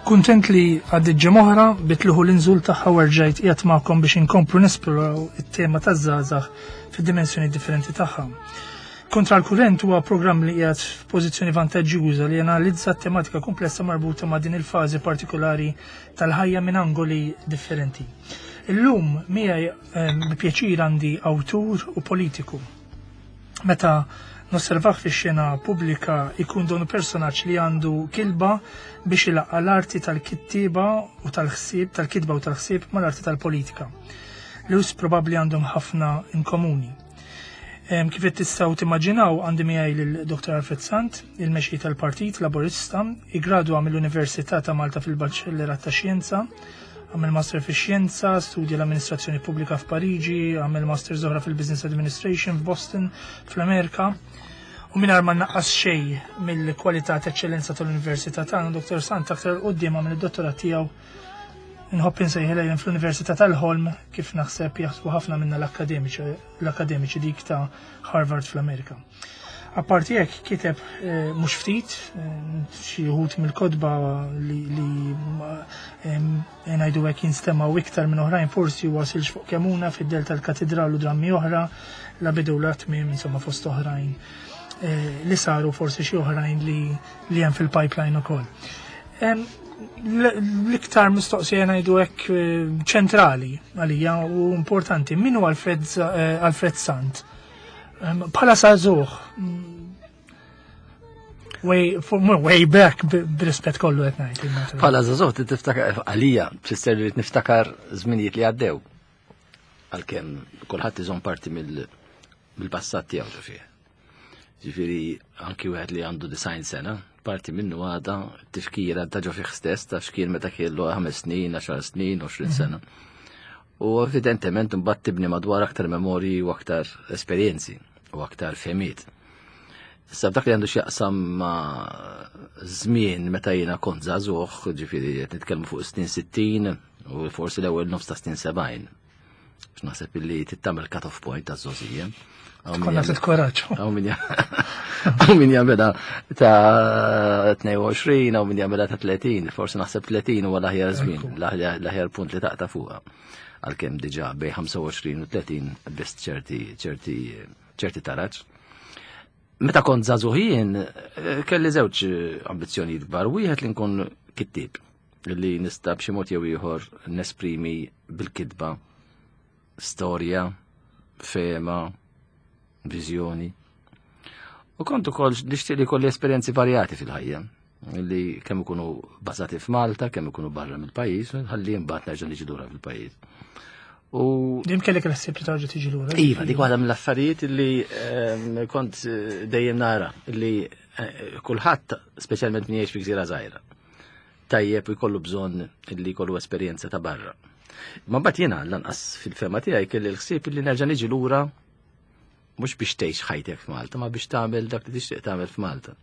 Kuntent li għaddit ġimgħa bitluħu l-inżul tagħha u rġajt qiegħed magħkom biex inkomplu nesploraw it-tema taż-żgħażagħ fid-dimensjoni differenti tagħha. Kontra l-kurrent huwa programm li qiegħed f'pożizzjoni vantaġġjuża li analizza tematika komplessa marbuta ma' din il-fażi partikolari tal-ħajja minn angoli differenti. Illum miegħi ehm, bi pjaċir għandi awtur u politiku. Meta nosservah fix-xena pubblika ikun donu personaġġ li għandu kilba biex ilaqqa l-arti tal-kittiba u tal-ħsieb, tal-kitba u tal-ħsieb mal-arti tal-politika. Lewis probabbli għandhom ħafna in komuni. Kif qed tistgħu timmaġinaw għandi miegħi lil Dr. Alfred Sant, il-mexxej tal-Partit Laburista, iggradwa mill-Università ta' Malta fil-Baċellerat ta' Xjenza, Għamel master fi xjenza, studja l-amministrazzjoni pubblika f'Pariġi, għamel master oħra fil-Business Administration f'Boston, fl-Amerika. U mingħajr ma naqqas xejn mill-kwalità ta' eċċellenza tal-Università tagħna, Dr. Sant aktar quddiem għamel id-dottorat tiegħu nħobb insejħilha jien fl-Università tal-Ħolm kif naħseb jaħsbu ħafna minna l-akademiċi dik ta' Harvard fl-Amerika. Apparti hekk kiteb eh, mhux ftit eh, xi wħud mill-kotba li eh, ngħidu hekk jinstemgħu iktar minn oħrajn forsi wasilx fuq kemuna fid-del tal-katedral u drammi oħra la bidu la tmiem insomma fost oħrajn li saru forsi xi oħrajn li li hemm fil-pipeline ukoll. L-iktar mistoqsija ngħidu hekk ċentrali għalija u importanti min hu Alfred Sant? Bħala sażuħ, way, way back b'rispett kollu qed ngħid. Bħala żagħżugħ tiftakar għalija tfisser li niftakar żminijiet li għaddew. Għalkemm kulħadd iżomm parti mill-passat tiegħu ġo fih. Ġifieri anki wieħed li għandu design sena, parti minnu għada tifkira ta' ġo fih stess ta' xkien meta kellu 5 snin, 10 snin, 20 sena. U evidentement imbagħad tibni madwar aktar memorji u aktar esperjenzi u aktar fehmiet. Issa dak li għandu x'jaqsam ma' żmien meta jiena kont żagħżugħ, ġifieri qed nitkellmu fuq snin 60 u forsi l-ewwel nofs ta' snin 70. Naħseb illi tittamel cut-off point ta' żgħożija. Konna ftit koraġġ. Hawn min jagħmilha ta' 22, hawn min jagħmilha ta' 30, forsi naħseb 30 huwa l-aħjar żmien, l-aħjar punt li taqta' fuqha. Għalkemm diġà bej 25 u 30 biss ċerti ċerti ċerti taraġ. Meta kont żagħżugħ jien, eh, kelli żewġ ambizzjonijiet kbar, wieħed li nkun kittieb li nista' b'xi mod jew ieħor nesprimi bil-kitba storja, fehma, viżjoni. U kont ukoll nixtieq li jkolli esperjenzi varjati fil-ħajja li kemm ikunu bażati f'Malta, kemm ikunu barra mill-pajjiż, ħalli mbagħad nerġa' niġi lura fil-pajjiż. U Dim kellek il-ħsieb li tarġa' tiġi lura. Iva, dik waħda mill-affarijiet li ehm, kont eh, dejjem nara li eh, kulħadd, speċjalment min jgħix fi gżira żgħira, tajjeb u jkollu bżonn li jkollu esperjenza ta' barra. Ma mbagħad jiena lanqas fil-fema tiegħi kelli l-ħsieb li nerġa' niġi lura mhux biex tgħix ħajtek f'Malta, ma biex tagħmel dak li tixtieq tagħmel f'Malta.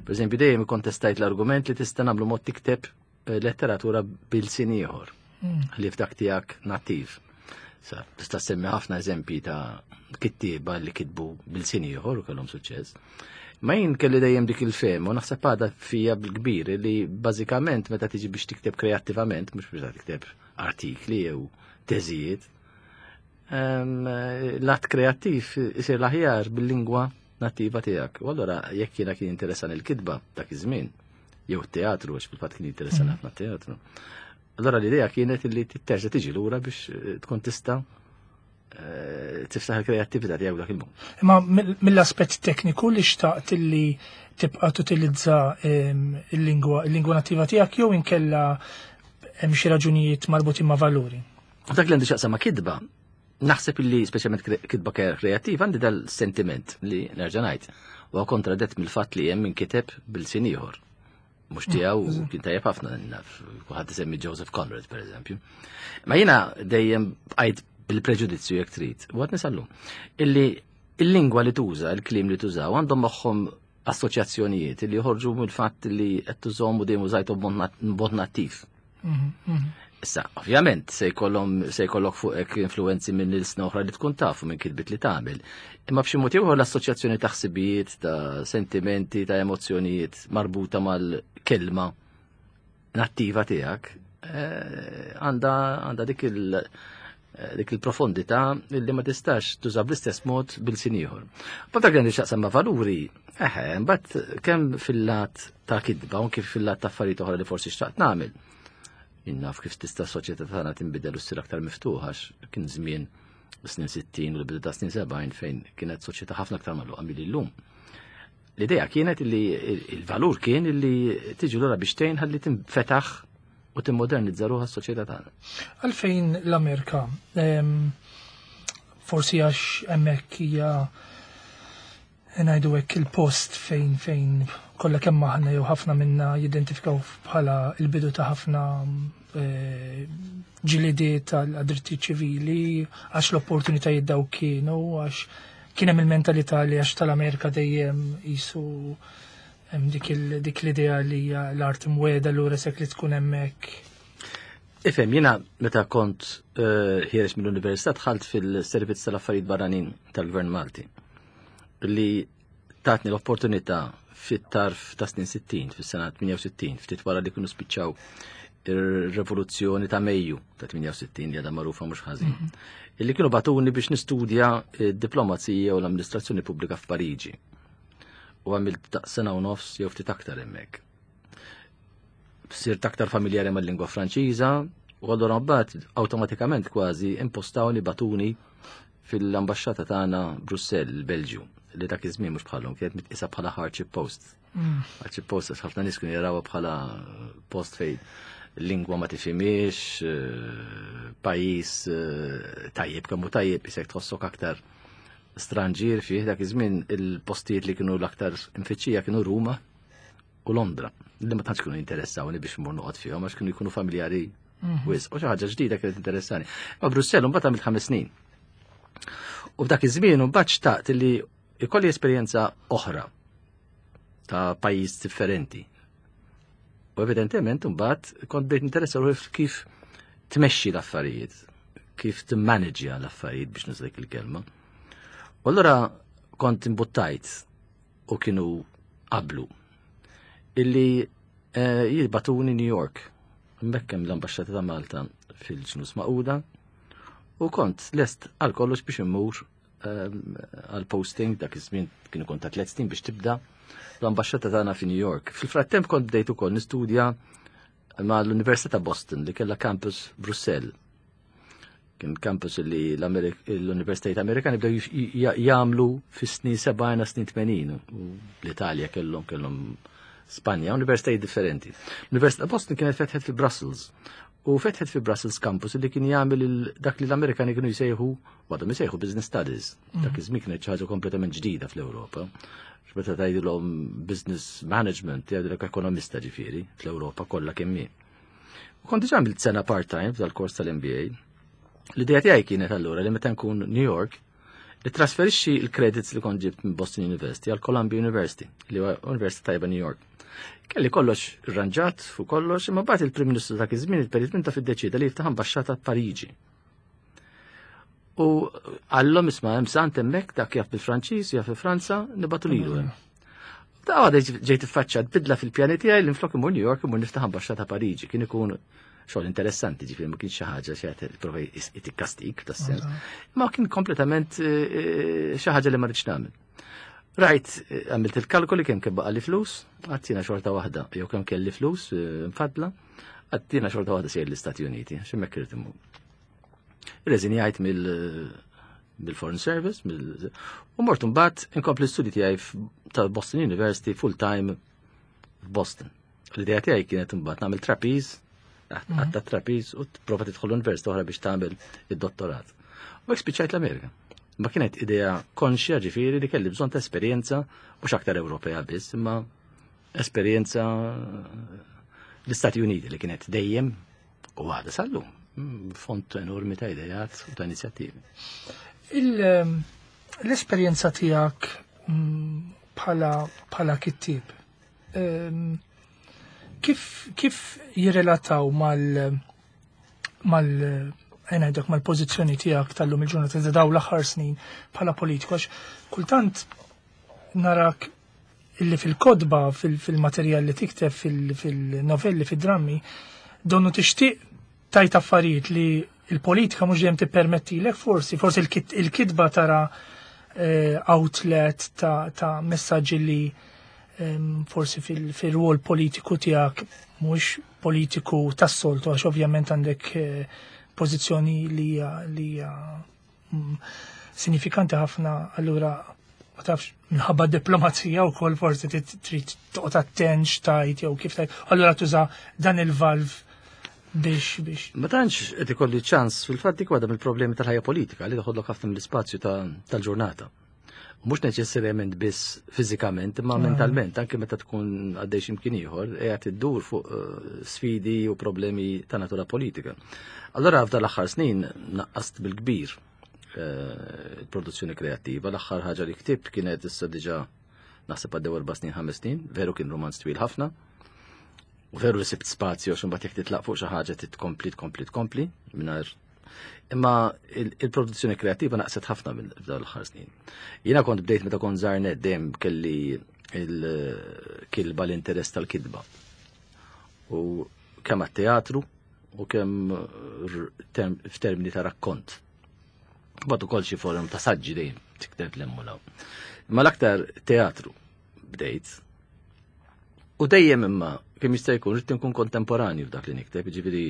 Per eżempju, dejjem ikkontestajt l-argument li tista' nagħmlu mod tikteb eh, letteratura bil-sin ieħor mm. li f'dak tiegħek nattiv. Sa, tista' semmi ħafna eżempji ta' kittieba li kitbu bil-sin ieħor u kellhom suċċess. Ma jien kelli dejjem dik il-fehma u naħseb għadha fija bil-kbir li bażikament meta tiġi biex tikteb kreattivament, mhux biex tikteb artikli jew teżijiet, l-att kreattiv isir l-aħjar bil-lingwa nattiva tiegħek. U allura jekk jiena kien interessan il-kitba dak iż-żmien, jew teatru, għax fil-fatt kien interessan mhm. ħafna teatru. Allora l-idea kienet li terġa' tiġi lura biex eh, tkun tista' eh, tiftaħ il-kreattività tiegħek dak il-mod. Imma mill-aspett tekniku li xtaqt li tibqa' tutilizza ehm, il-lingwa il-lingwa nattiva tiegħek jew inkella hemm xi raġunijiet marbutin ma' valuri. Dak li għandu x'jaqsam ma' kitba, naħseb illi speċjalment kitba kreattiva għandi dal-sentiment li nerġa' ngħid huwa kontradett mill-fatt li hemm min kiteb bil-sin ieħor. Mhux tiegħu mm, kien tajjeb ħafna naf, kulħadd isemmi Joseph Conrad pereżempju. Ma jiena dejjem bqajt bil-preġudizzju jekk trid, u għad nisallu, illi il-lingwa li tuża, il-kliem li tużaw għandhom magħhom assoċjazzjonijiet li joħorġu mill-fatt li qed tużhom u dejjem użajthom b'mod nattiv. Mhm, mhm. Issa, ovvjament, se jkollhom se jkollok fuqek influenzi minn il-sna oħra li tkun taf u minn kitbit li tagħmel. Imma b'xi mod ieħor l-assoċjazzjoni ta' ħsibijiet, ta' sentimenti, ta' emozzjonijiet marbuta mal-kelma. nattiva tiegħek eh, għandha dik il- eh, dik il-profondità li ma tistax tuża bl-istess mod bil-sin ieħor. Ma dak li xaqsam ma' valuri, eħe, mbagħad kemm fil-lat ta' kidba u kif fil-lat ta' affarijiet oħra li forsi xtaqt nagħmel. Innaf kif tista' soċjetà tagħna tinbidel u ssir aktar miftuħa kien żmien snin 60 u l-bidu ta' snin 70 fejn kienet soċjetà ħafna aktar magħluqa milli llum. L-idea kienet li il-valur kien li tiġi lura biex tgħin ħalli tinfetaħ u timmodernizza ruħha s-soċjetà tagħna. Għalfejn l-Amerika? Forsi għax hemmhekk hija ngħidu hekk il-post fejn fejn kollha kemm aħna jew ħafna minna jidentifikaw bħala il-bidu ta' ħafna eh, ġilidiet tal-drittijiet ċivili, għax l-opportunitajiet daw kienu, għax kien hemm il-mentalità li għax tal-Amerika dejjem jisu hemm dik l-idea li hija l-art imweda lura sekk li tkun hemmhekk. Ifhem, jiena meta kont eh, ħiereġ mill-università dħalt fil-servizz tal-affarijiet barranin tal-Gvern Malti li tatni l-opportunità fit-tarf ta' snin 60, fis-sena 68, ftit wara li kienu spiċċaw ir-revoluzzjoni ta' Mejju ta' 68 li għadha magħrufa mhux ħażin. Mhm. Illi kienu batuni biex nistudja diplomazija u l-amministrazzjoni pubblika f'Pariġi. U għamilt ta' sena u nofs jew ftit aktar hemmhekk. Sirt aktar familjari mal-lingwa Franċiża u allura mbagħad awtomatikament kważi impostawni batuni fil-ambaxxata tagħna Brussell, il-Belġju, li dak iż-żmien mhux bħalhom kienet mitqisa bħala hardship post. Mm. Hardship post għax ħafna nies kienu jarawha bħala post fejn lingwa ma tifhimiex, eh, pajjiż eh, tajjeb kemm hu tajjeb isek tħossok aktar stranġier fih dak iż-żmien il-postijiet li kienu l-aktar imfittxija kienu Ruma u Londra, li ma tantx kienu jinteressawni biex mmur noqgħod fihom għax kienu jkunu familjari mhm. wisq. U xi ħaġa ġdida kienet interessani. Ma Brussell mbagħad għamilt ħames snin. U f'dak iż-żmien mbagħad xtaqt li ikolli esperjenza oħra ta' pajjiż differenti. U evidentement mbagħad kont bdejt interessa ruħi kif tmexxi l-affarijiet, kif timmanagja l-affarijiet biex nuża dik il-kelma. U allura kont imbuttajt u kienu qablu illi eh, jibbatuni New York. Hemmhekk hemm l-Ambaxxata ta' Malta fil-ġnus Maquda u kont lest għal kollox biex immur ehm, għal posting dak iż-żmien kienu kont ta' tliet snin biex tibda l-ambaxxata tagħna fi New York. Fil-frattemp kont bdejt ukoll nistudja ma' l-Università ta' Boston li kellha campus Brussell. Kien campus li l-Universitajiet Amerikani bdew jagħmlu fis-snin 70 snin 80 u l-Italja kellhom kellhom Spanja, universitajiet differenti. L-Università Boston kienet fetħet fi Brussels u fetħet fi Brussels campus li kien jagħmel dak li l-Amerikani kienu jsejħu għadhom jsejħu business studies. Mm. Dak iż-żmien kienet xi ħaġa kompletament ġdida fl-Ewropa. Meta tgħidilhom business management, jgħidilek ekonomista ġifieri fl-Ewropa kollha kemm hi. U kont diġà għamilt sena part-time f'dal-kors tal-MBA. L-idea tiegħi kienet allura li meta nkun New York, trasferixxi l-credits li kont ġibt minn Boston University għal Columbia University, li huwa University tajba New York. Kelli kollox irranġat fuq kollox, imma bagħad il-Prim Ministru dak iż-żmien il-Perit Minta fid-deċida li jiftaħ ambaxxata Pariġi. U għallhom isma' hemm sant hemmhekk dak jaf bil-Franċiż, jaf fi Franza, nibatu lilu hemm. Ta' għada ġejt iffaċċat bidla fil-pjani tiegħi li nflok imur New York imur niftaħ ambaxxata Pariġi. Kien ikun xogħol interessanti, ġifieri ma kienx xi ħaġa xi qed prova jtikkastik tas-sens. Ma kien kompletament eh, eh, xi ħaġa li ma rridx nagħmel. Rajt, eh, għamilt il-kalkoli kemm kemm baqa' li flus, għattina xorta waħda, jew kemm kelli flus mfadla, għattina xorta waħda sejr l-Istati Uniti, x'hemmhekk irid imur. Irreżinjajt mill-Foreign Service, mill u mort mbagħad inkompli l-studji tiegħi tal-Boston University full-time f'Boston. L-idea tiegħi kienet imbagħad nagħmel trapeze, mhm. għatta trapeze u tipprova tidħol l-università oħra biex tagħmel id-dottorat. U hekk spiċċajt l-Amerika. Ma kienet idea konxja ġifieri li kelli bżonn ta' esperjenza mhux aktar Ewropea biss, imma esperjenza l-Istati Uniti li kienet dejjem U għada sallum, font enormi ta' idejat u ta' inizjattivi. Ehm, l-esperjenza tiegħek bħala kittib, ehm, kif, kif jirrelataw mal mal ngħidlek mal-pożizzjoni tiegħek tal-lum il-ġurnata ta' daw l-aħħar snin bħala politiku għax kultant narak illi fil-kotba, fil-materjal li tikteb, fil-novelli, fil-drammi, donnu tixtieq tajt affarijiet li il-politika mhux dejjem tippermettilek forsi, forsi il-kitba tara outlet ta' messaġġi li forsi fil-rwol politiku tiegħek mhux politiku tas-soltu għax ovvjament għandek pożizzjoni li hija sinifikanti ħafna, allura ma tafx minħabba diplomazija u kol forsi trid toqgħod attent x'tajt jew kif tajt, allura tuża dan il-valv biex. Ma tantx qed ikolli ċans fil-fatt dik waħda mill-problemi tal-ħajja politika li toħodlok ħafna mill-ispazju tal-ġurnata. U mhux neċessarjament biss fiżikament, imma mentalment, anke meta tkun għaddej x'imkien ieħor, qiegħed iddur fuq sfidi u problemi ta' natura politika. Allora f'dan l-aħħar snin naqqast bil-kbir il-produzzjoni kreattiva. L-aħħar ħaġa li ktibt kienet issa diġà naħseb għaddew 4 snin, 5 snin, veru kien romanz twil ħafna. U veru li sibt spazju għax imbagħad jekk titlaq fuq xi ħaġa titkompli, tkompli, tkompli mingħajr. Imma il-produzzjoni kreattiva naqset ħafna minn f'dawn l-aħħar snin. Jiena kont bdejt meta kont żgħar nett dejjem kelli il-kilba l-interess tal-kitba. U kemm għat-teatru u kemm f'termini ta' rakkont. Mbagħad ukoll xi forum ta' saġġi dejjem tikteb l-hemm u l-hawn. Imma l-aktar teatru bdejt. U dejjem imma kemm jista' jkun rrid nkun kontemporanju f'dak li nikteb, jiġifieri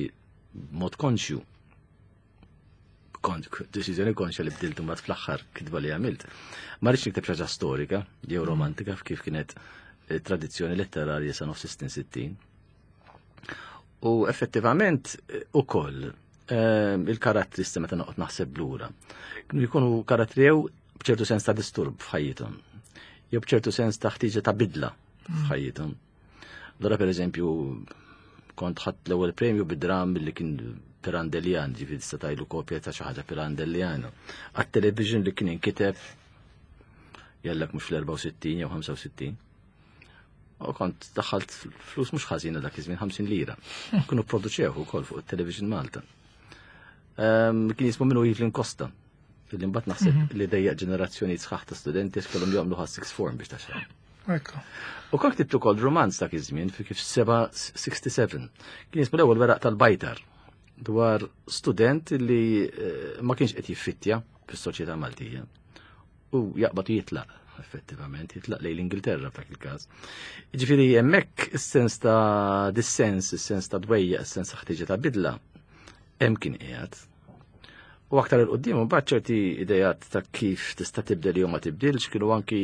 mod konxju. Deċiżjoni konxja li bdilt imbagħad fl-aħħar kitba li għamilt. Ma rridx nikteb xi ħaġa storika jew romantika kif kienet tradizzjoni letterarja sa nofs is-snin 60. U effettivament ukoll il-karattri issa meta noqgħod naħseb lura. Kienu jkunu karattri jew b'ċertu sens ta' disturb f'ħajjithom, jew b'ċertu sens ta' ħtieġa ta' bidla f'ħajjithom. Allura pereżempju kont ħadt l-ewwel premju bid-dram li kien Pirandellian, ġifieri tista' tgħidlu kopja ta' xi ħaġa Pirandelliana. Għat-television li kien inkiteb jellek mhux fl-64 jew 65. U kont daħħalt flus mhux ħażina dak iż-żmien 50 lira. Kienu produċew ukoll fuq it-Television Malta. Kien jismu minnu Evelyn Costa. Illi mbagħad naħseb li dejjaq ġenerazzjoni sħaħ ta' studenti kellhom jagħmlu ħas sixth form biex taxxa. U kont ktibt ukoll romanz dak iż-żmien fi kif 67. Kien jismu l-ewwel weraq tal-bajtar dwar student li ma kienx qed jiffittja fis-soċjetà Maltija. U jaqbad u jitlaq, effettivament, jitlaq lejn l-Ingilterra f'dak il-każ. Ġifieri hemmhekk is-sens ta' dissens, is-sens ta' dwejja, is-sens ta' ħtieġa ta' bidla, hemm kien qiegħed. U aktar il qudiem imbagħad ċerti idejat ta' kif tista' tibdel jew ma tibdilx kienu anki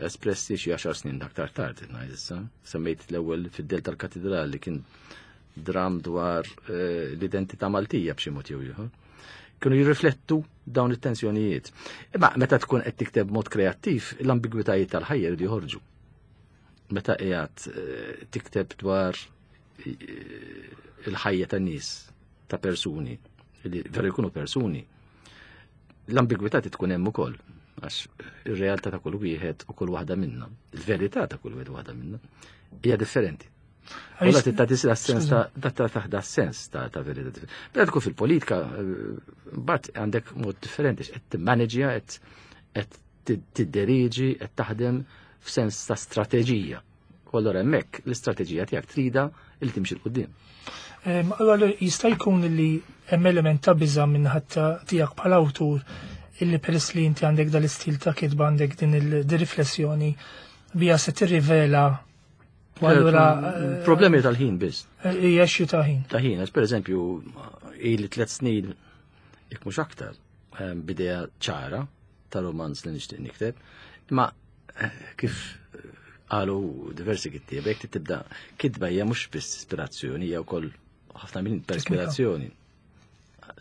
espressi xi 10 snin aktar tard, ngħid issa. Semmejt l-ewwel fid-del tal-Katedral li kien dram dwar l-identità Maltija b'xi mod jew ieħor. Kienu jirriflettu dawn it-tensjonijiet. Imma meta tkun qed tikteb mod kreattiv, l-ambigwitajiet tal-ħajja jridu joħorġu. Meta qiegħed tikteb dwar il-ħajja tan-nies, ta' persuni, li veru jkunu persuni, l-ambigwità tkun hemm ukoll, għax ir-realtà ta' kull wieħed u kull waħda minna, il-verità ta' kull wieħed u waħda minna, hija differenti. Għaliex Allora tista' tisla sens ta' da ta' taħda sens ta' verità differenti. Meta tkun fil-politika, mbagħad għandek mod differenti, qed timmaneġja, qed tidderiġi, qed taħdem f'sens ta' strateġija. U allora hemmhekk l-istrateġija tiegħek trida li timxi 'l quddiem. Allora jista' jkun li hemm element ta' biża' minn ħadd tiegħek bħala awtur illi peress li inti għandek dal-istil ta' kitba għandek din il-riflessjoni bija se tirrivela u allura, Problemi tal-ħin biss. Hija xi ta' ħin. Ta' ħin, għax pereżempju ili 3 snin jekk mhux aktar bidea ċara ta' romanz li nixtieq nikteb, imma kif qalu diversi kittieba, jekk tibda kitba hija mhux biss ispirazzjoni, hija wkoll ħafna minn perspirazzjoni.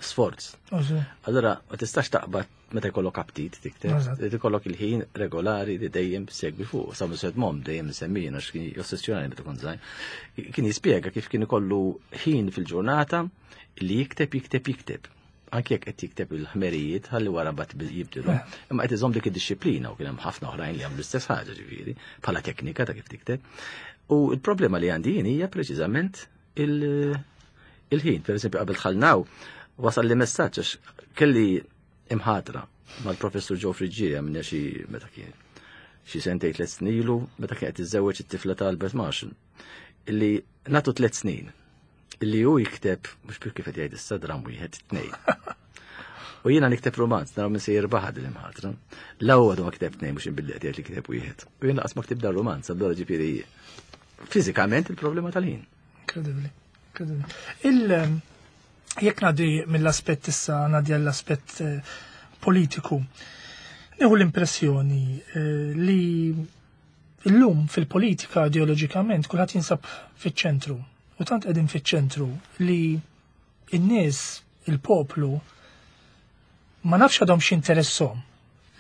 Sforz. Allora, ma tistax taqbad meta jkollok aptit tikteb, li tikollok il-ħin regolari li dejjem segwi fuq. Sa Somerset Maugham dejjem semmijin għax kien jossessjonali meta kont żgħir. Kien jispjega kif kien ikollu ħin fil-ġurnata li jikteb, jikteb, jikteb. Anke jekk qed jikteb il-ħmerijiet ħalli wara mbagħad jibdilu. Imma qed iżomm dik id-disciplina u kien hemm ħafna oħrajn li għamlu l-istess ħaġa ġifieri, bħala teknika ta' kif tikteb. U l-problema li għandi jien hija preċiżament il-ħin. Per eżempju, qabel dħalnaw, wasal li messaġġ għax kelli imħatra mal-professur Joe Friggieri minn xi meta kien. xi sentej 3 snin ilu meta kienet iżżewweġ it-tifla ta' Albert Marshall. Illi nagħtu 3 snin illi hu jikteb, mhux kif qed jgħid issa, dram wieħed, tnejn. U jiena nikteb romanz, naraw min se jirbaħ din il-ħatra. L-ewwel ma kiteb tnejn, mhux billi qed jgħid li kiteb wieħed. U jiena qas ma ktib dan romanz, allura ġifieri fiżikament il-problema tal-ħin. Incredibly. Incredibly. Jekk ngħaddi mill-aspett issa ngħaddi għall-aspett politiku. Nieħu l-impressjoni li illum fil-politika ideoloġikament kulħadd jinsab fiċ-ċentru. U tant qegħdin fiċ-ċentru li n-nies, il-poplu, ma nafx għadhom x'interesshom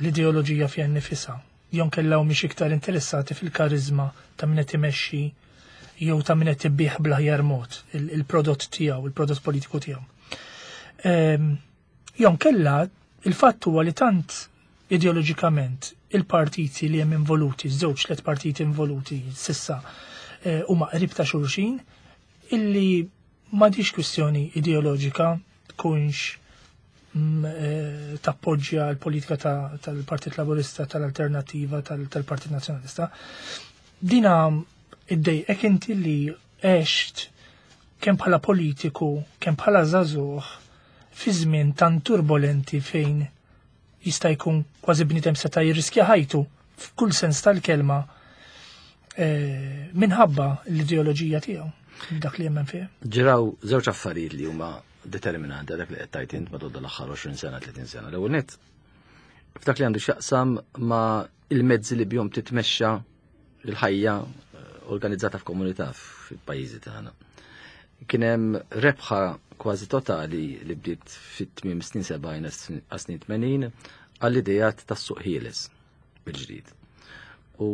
l-ideoloġija fiha nnifisha. Jew kellha mhix iktar interessati fil-karizma ta' min qed imexxi jew ta' min qed ibih bl-aħjar mod il-prodott tiegħu, il-prodott politiku tiegħu. Jew kella il-fatt huwa li tant ideoloġikament il-partiti li hemm involuti, żewġ tliet partiti involuti s'issa, huma qrib ta' xulxin illi m'għadix kwistjoni ideoloġika tkunx tappoġġja l-politika tal-Partit Laburista, tal-Alternativa, tal-Partit Nazzjonalista. Dina iddejqek inti li għext kemm bħala politiku, kemm bħala żagħżugħ fi żmien tan turbolenti fejn jista' jkun kważi bniedem seta' jirriskja ħajtu f'kull sens tal-kelma minħabba l-ideoloġija tiegħu, dak li jemmen fih? Ġraw żewġ affarijiet li huma determinanti dak li qed tgħid int matul l-aħħar 20 sena, 30 sena. L-ewwel nett, f'dak li għandu x'jaqsam ma' il-mezzi li bihom titmexxa il-ħajja organizzata f'komunità fil-pajjiżi tagħna. Kien hemm rebħa kważi totali li bdiet fit-tmiem snin 70 għas snin 80 għall-idejat tas-suq ħieles bil-ġdid. U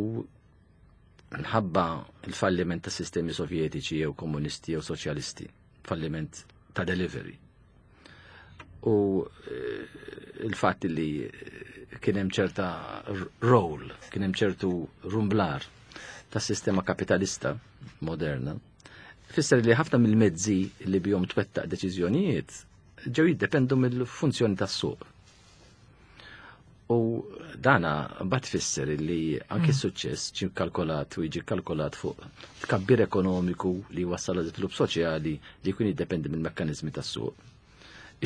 nħabba il-falliment ta' sistemi sovjetiċi jew komunisti jew soċjalisti, falliment ta' delivery. U il-fatt li kien hemm ċerta role, kien hemm ċertu rumblar ta' sistema kapitalista moderna, fisser li ħafna mill-mezzi li bihom twettaq deċiżjonijiet ġew jiddependu mill-funzjoni tas-suq. U dana bat fisser li anke suċċess ġie kalkolat u jiġi kalkolat fuq tkabbir ekonomiku li wassal għal żvilupp soċjali li jkun jiddependi mill-mekkaniżmi tas-suq.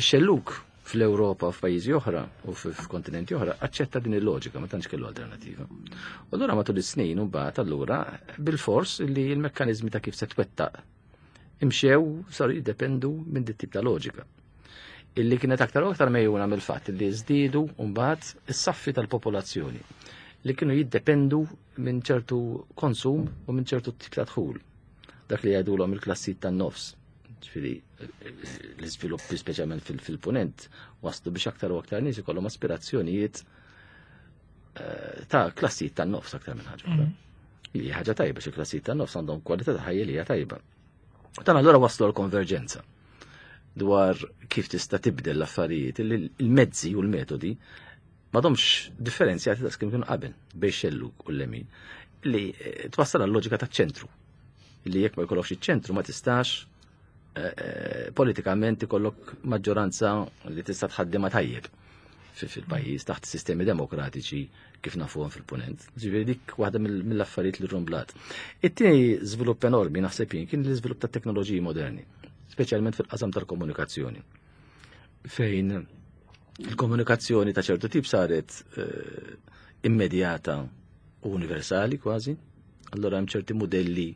Ix-xelluk fl-Ewropa u f'pajjiżi oħra u f'kontinenti oħra aċċetta din il-loġika, ma tantx kellu alternativa. U allura matul is-snin u mbagħad allura bil-fors li l-mekkaniżmi ta' kif se twettaq imxew saru jiddependu minn dit tip ta' loġika. Illi kienet aktar u aktar mejjuna mill-fatt li żdiedu mbagħad is-saffi tal-popolazzjoni li kienu jiddependu minn ċertu konsum u minn ċertu tip ta' dħul. Dak li jgħidulhom il-klassijiet tan-nofs. Ġifieri l-iżviluppi speċjalment fil-punent waslu biex aktar u aktar nies ikollhom aspirazzjonijiet ta' klassijiet tan-nofs aktar minn ħaġa oħra. Li ħaġa tajba xi klassijiet tan-nofs għandhom kwalità ta' ħajja li hija tajba. Dan allura waslu l-konverġenza dwar kif tista' tibdel l-affarijiet, il-mezzi u l-metodi m'għadhomx differenzjati ta' kemm kienu qabel bejn xellug u l-lemin, li twassal għal loġika ta' ċentru. Li jekk ma jkollokx iċ-ċentru ma tistax politikament ikollok maġġoranza li tista' tħaddimha tajjeb fil-pajjiż taħt sistemi demokratiċi kif nafuhom fil-punent. Ġifieri dik waħda mill-affarijiet li rumblat. It-tieni żvilupp enormi naħseb jien kien l-iżvilupp ta' teknoloġiji moderni, speċjalment fil-qasam tal-komunikazzjoni. Fejn il-komunikazzjoni ta' ċertu tip saret immedjata u universali kważi, allora hemm ċerti modelli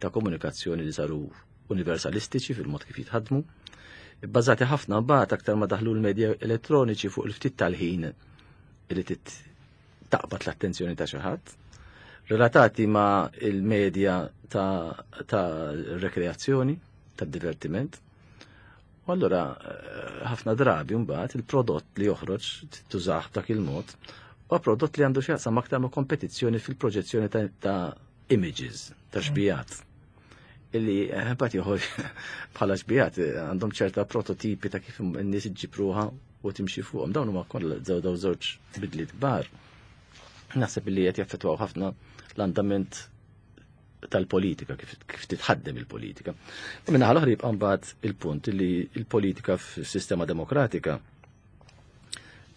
ta' komunikazzjoni li saru universalistiċi fil-mod kif jitħadmu, bbażati ħafna mbagħad aktar ma daħlu l-medja elettroniċi fuq il-ftit tal-ħin li taqbad l-attenzjoni ta' xi ħadd, relatati ma' il-medja ta' rekreazzjoni, ta' divertiment. U allura ħafna drabi mbagħad il-prodott li joħroġ tużah dak il-mod huwa prodott li għandu x'jaqsam aktar ma' kompetizzjoni fil-proġezzjoni ta' images, ta' xbijat. Illi mbagħad joħorġ bħala xbijat għandhom ċerta prototipi ta' kif n-nies iġġibruha u timxi fuqhom. Dawn huma kollha daw żewġ bidliet kbar. Naħseb li qed jaffettwaw ħafna l-andament tal-politika, kif titħaddem il-politika. U minna l-oħra jibqa' mbagħad il-punt li il-politika f'sistema demokratika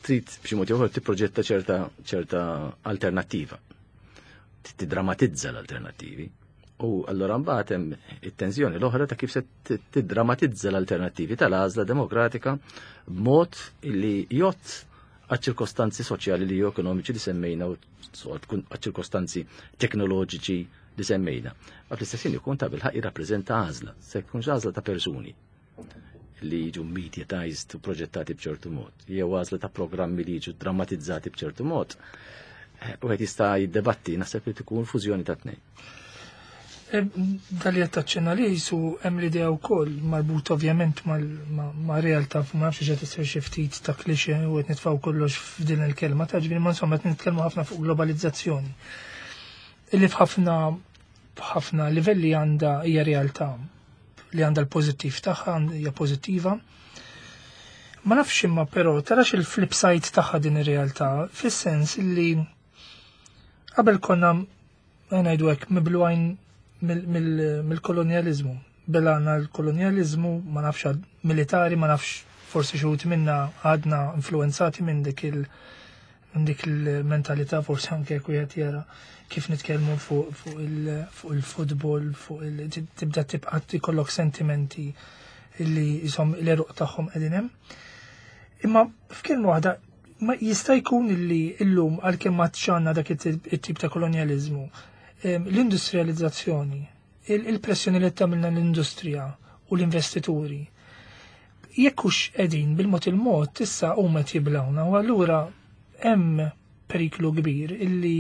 trid b'xi mod ieħor tipproġetta ċerta alternattiva. Tiddramatizza l-alternattivi. U allura mbagħad hemm it-tensjoni l-oħra ta' kif se tiddramatizza l-alternattivi tal-għażla demokratika b'mod li jott għaċ-ċirkostanzi soċjali li ekonomiċi li semmejna u għaċ-ċirkostanzi teknoloġiċi li semmejna. Ma fl-istess ħin ikun ta' bilħaq jirrappreżenta għażla, se jkunx għażla ta' persuni li jiġu mediatized u proġettati b'ċertu mod, jew għażla ta' programmi li jiġu drammatizzati b'ċertu mod. U għed jista' jiddebatti, naħseb li tkun fużjoni ta' tnejn. Dal qed taċċenna li jisu hemm l-idea wkoll marbut ovvjament ma' realtà ma nafx qed isir xi ftit ta' klixe u qed nitfgħu kollox f'din il-kelma ta' ġifieri ma insomma qed nitkellmu ħafna fuq globalizzazzjoni. Illi f'ħafna b'ħafna livelli għandha hija realtà li għandha l-pożittiv tagħha hija pożittiva. Ma nafx imma però tarax il-flip side tagħha din ir-realtà fis-sens li qabel konna ngħidu hekk miblugħin mill-kolonjaliżmu. Belana l-kolonjaliżmu, ma nafx militari, ma nafx forsi xi minna għadna influenzati minn dik il- minn dik il-mentalità forsi anke jekk wieħed jara kif nitkellmu fuq il-futbol, fuq il tibda tibqa' ikollok sentimenti li jisom l-eruq tagħhom qegħdin hemm. Imma f'kelma waħda ma jista' jkun li llum għalkemm ma għandna dak it-tip ta' kolonjaliżmu, l-industrializzazzjoni, il-pressjoni li tagħmilna l-industrija u l-investituri, jekk hux qegħdin bil-mod il-mod issa huma qed jiblawna u allura hemm periklu kbir illi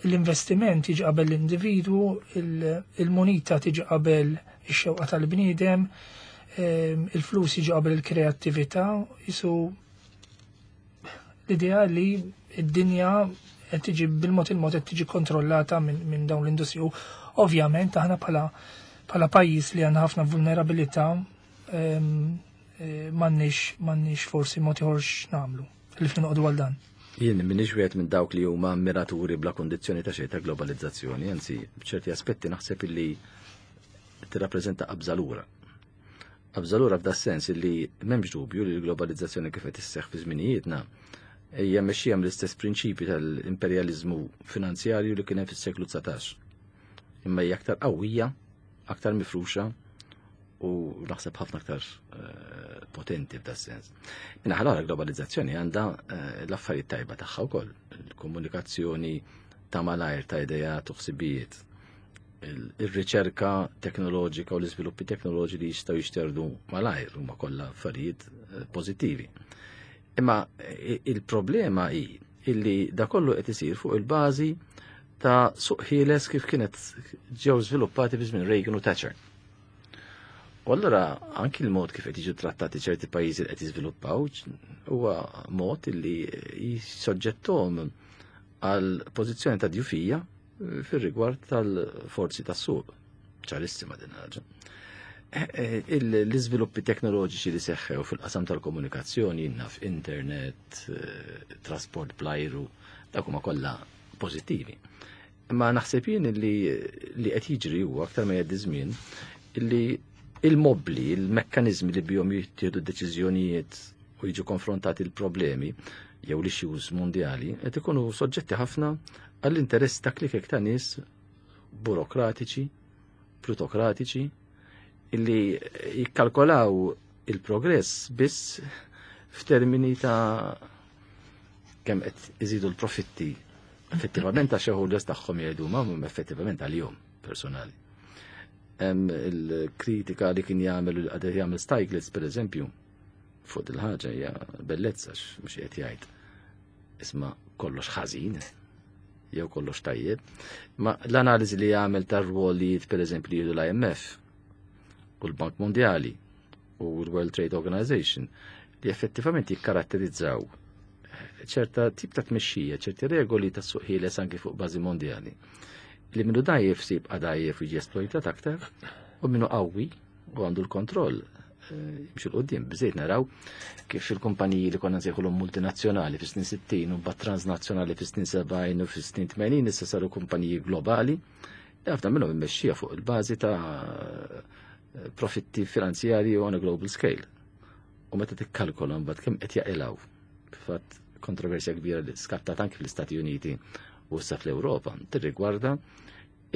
l-investiment jiġi qabel l-individwu, il-munita tiġi qabel ix-xewqa tal-bniedem, il-flus jiġi qabel il-kreattività, jisu l-idea li id-dinja qed tiġi bil-mod il-mod qed tiġi kontrollata minn dawn l-industriji. U ovvjament aħna bħala pajjiż li għandna ħafna vulnerabilità m'għandniex forsi mod ieħor x'nagħmlu li fin noqogħdu għal dan. Jien m'iniex wieħed minn dawk li huma ammiraturi bla kondizzjoni ta' xejn ta' globalizzazzjoni, anzi b'ċerti aspetti naħseb illi tirrappreżenta qabża lura. Qabża lura f'da sens illi m'hemmx dubju li l-globalizzazzjoni kif qed isseħħ fi żminijietna hija mexxija mill-istess prinċipji tal-imperjaliżmu finanzjarju li kien hemm fis-seklu 19. Imma hija aktar qawwija, aktar mifruxa u naħseb ħafna aktar potenti f'da sens. Minna ħalora globalizzazzjoni għandha l-affarijiet tajba tagħha wkoll, il-komunikazzjoni ta' malajr ta' idejat u ħsibijiet, il-riċerka teknoloġika u l-iżviluppi teknoloġi li jistgħu jixterdu malajr huma kollha affarijiet pożittivi. Imma il-problema hi illi da kollu qed isir fuq il-bażi ta' suq ħieles kif kienet ġew żviluppati fi żmien Reagan u Thatcher. U allura anki l-mod kif qed jiġu trattati ċerti pajjiżi li qed jiżviluppaw huwa mod illi jissoġġettuhom għal pożizzjoni ta' djufija fir-rigward tal-forzi tas-suq. Ċarissima din ħaġa. L-iżviluppi teknoloġiċi li seħħew fil-qasam tal-komunikazzjoni, naf internet, trasport bl-ajru, dak huma kollha pożittivi. Imma naħseb jien li qed jiġri huwa aktar ma jgħaddi żmien illi il-mobli, il-mekkanizmi li bihom jittieħdu deċiżjonijiet u jiġu konfrontati l-problemi jew l-issues mondjali qed ikunu soġġetti ħafna għall-interess ta' klikek ta' nies burokratiċi, plutokratiċi, illi jikkalkolaw il-progress biss f'termini ta' kemm qed iżidu l-profitti effettivament għax shareholders tagħhom jgħidu ma effettivament għalihom personali. Hemm il-kritika li kien jagħmel u qed jagħmel Stiglitz pereżempju fuq il-ħaġa hija bellezza mhux qed jgħid isma' kollox ħażin jew kollox tajjeb, ma l-analiżi li jagħmel tar-rwolijiet pereżempju li jieħdu l-IMF u l-Bank Mondjali u l-World Trade Organization li effettivament jikkaratterizzaw ċerta tip ta' tmexxija, ċerti regoli ta' suq ħieles anki fuq bażi mondjali. Li minnu dajjef si jibqa' dajjef u jiġi esploitat aktar u minnu qawwi u għandu l-kontroll jimxu l-qoddim. Bżejt naraw kif il-kumpaniji li konna nsejħulhom multinazzjonali fis-snin 60 u mbagħad transnazzjonali fis-snin 70 u fis-snin 80 issa saru kumpaniji globali. Ħafna minnhom immexxija fuq il-bażi ta' profitti finanzjarji on a global scale. U meta tikkalkola mbagħad kemm qed jaqilgħu. Fatt kontroversja kbira li skattat anki fl-Istati Uniti u issa fl-Ewropa tirrigwarda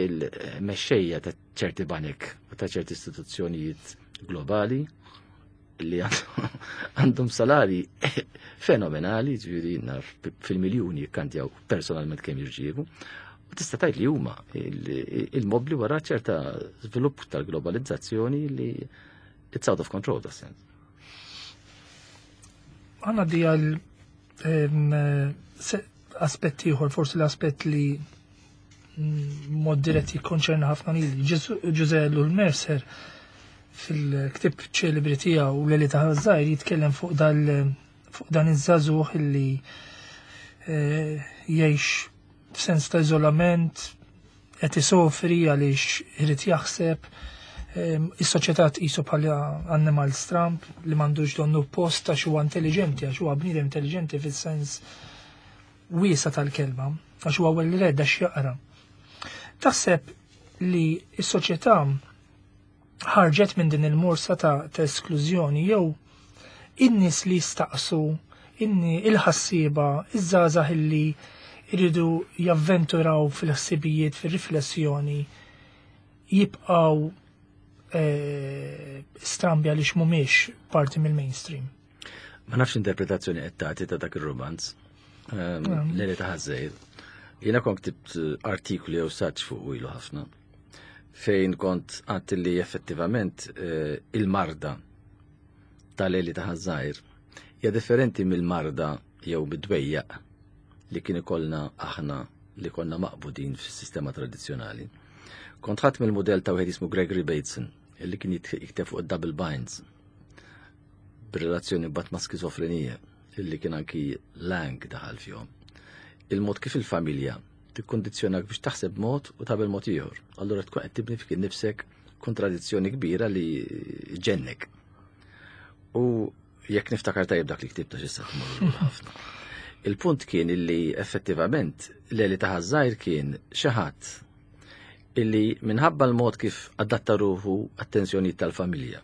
il-mexxejja ta' ċerti banek u ta' ċerti istituzzjonijiet globali li għandhom salari fenomenali, ġifieri naf fil-miljuni jikkantjaw personalment kemm jirċievu. U tista' tgħid li huma il-mobli wara ċerta żvilupp tal-globalizzazzjoni li it's out of control da sens. Għanna di għal aspett ieħor, forsi l-aspett li mod dirett jikkonċerna ħafna lili. Ġuże L. Mercer fil-ktib ċelebri tiegħu l ta' Żgħir jitkellem fuq dal fuq dan iż-żagħżugħ illi jgħix f'sens ta' iżolament, qed isofri għaliex irid jaħseb, is-soċjetà tqisu bħala annimal stramp li m'għandux donnu post għax huwa intelligenti, għax huwa bniedem intelligenti fis-sens wiesa tal-kelma, għax huwa well read, għax jaqra. Taħseb li s-soċjetà ħarġet minn din il-morsa ta' esklużjoni jew in-nies li jistaqsu, inni il-ħassieba, iż-żgħażagħ illi jridu javventuraw fil-ħsibijiet, fil-riflessjoni, jibqaw strambi għaliex mhumiex parti mill-mainstream? Ma nafx interpretazzjoni qed tagħti ta' dak ir-romanz. L-Għeli ta' Ħaż-Żgħir. Jiena kont ktibt artiklu jew saġġ fuq ilu ħafna fejn kont għadt li effettivament il-marda tal-Għeli ta' Ħaż-Żgħir hija differenti mill-marda jew bid-dwejjaq li kien ikollna aħna li konna maqbudin fis-sistema tradizzjonali. Kont ħadt mill-modell ta' wieħed jismu Gregory Bateson, illi kien jikteb fuq double binds b'relazzjoni bat ma' skizofrenija, illi kien anki Lang daħal fihom. Il-mod kif il-familja tikkondizzjonak biex taħseb mod u tagħmel mod ieħor. Allura tkun qed tibni fik innifsek kontradizzjoni kbira li ġennek. U jekk niftakar tajjeb dak li ktibta x'issa tmur ħafna. Il-punt kien illi effettivament l-Għeli ta' Ħaż-Żgħir kien xi ħadd illi minħabba l-mod kif adatta ruħu għat-tensjonijiet tal-familja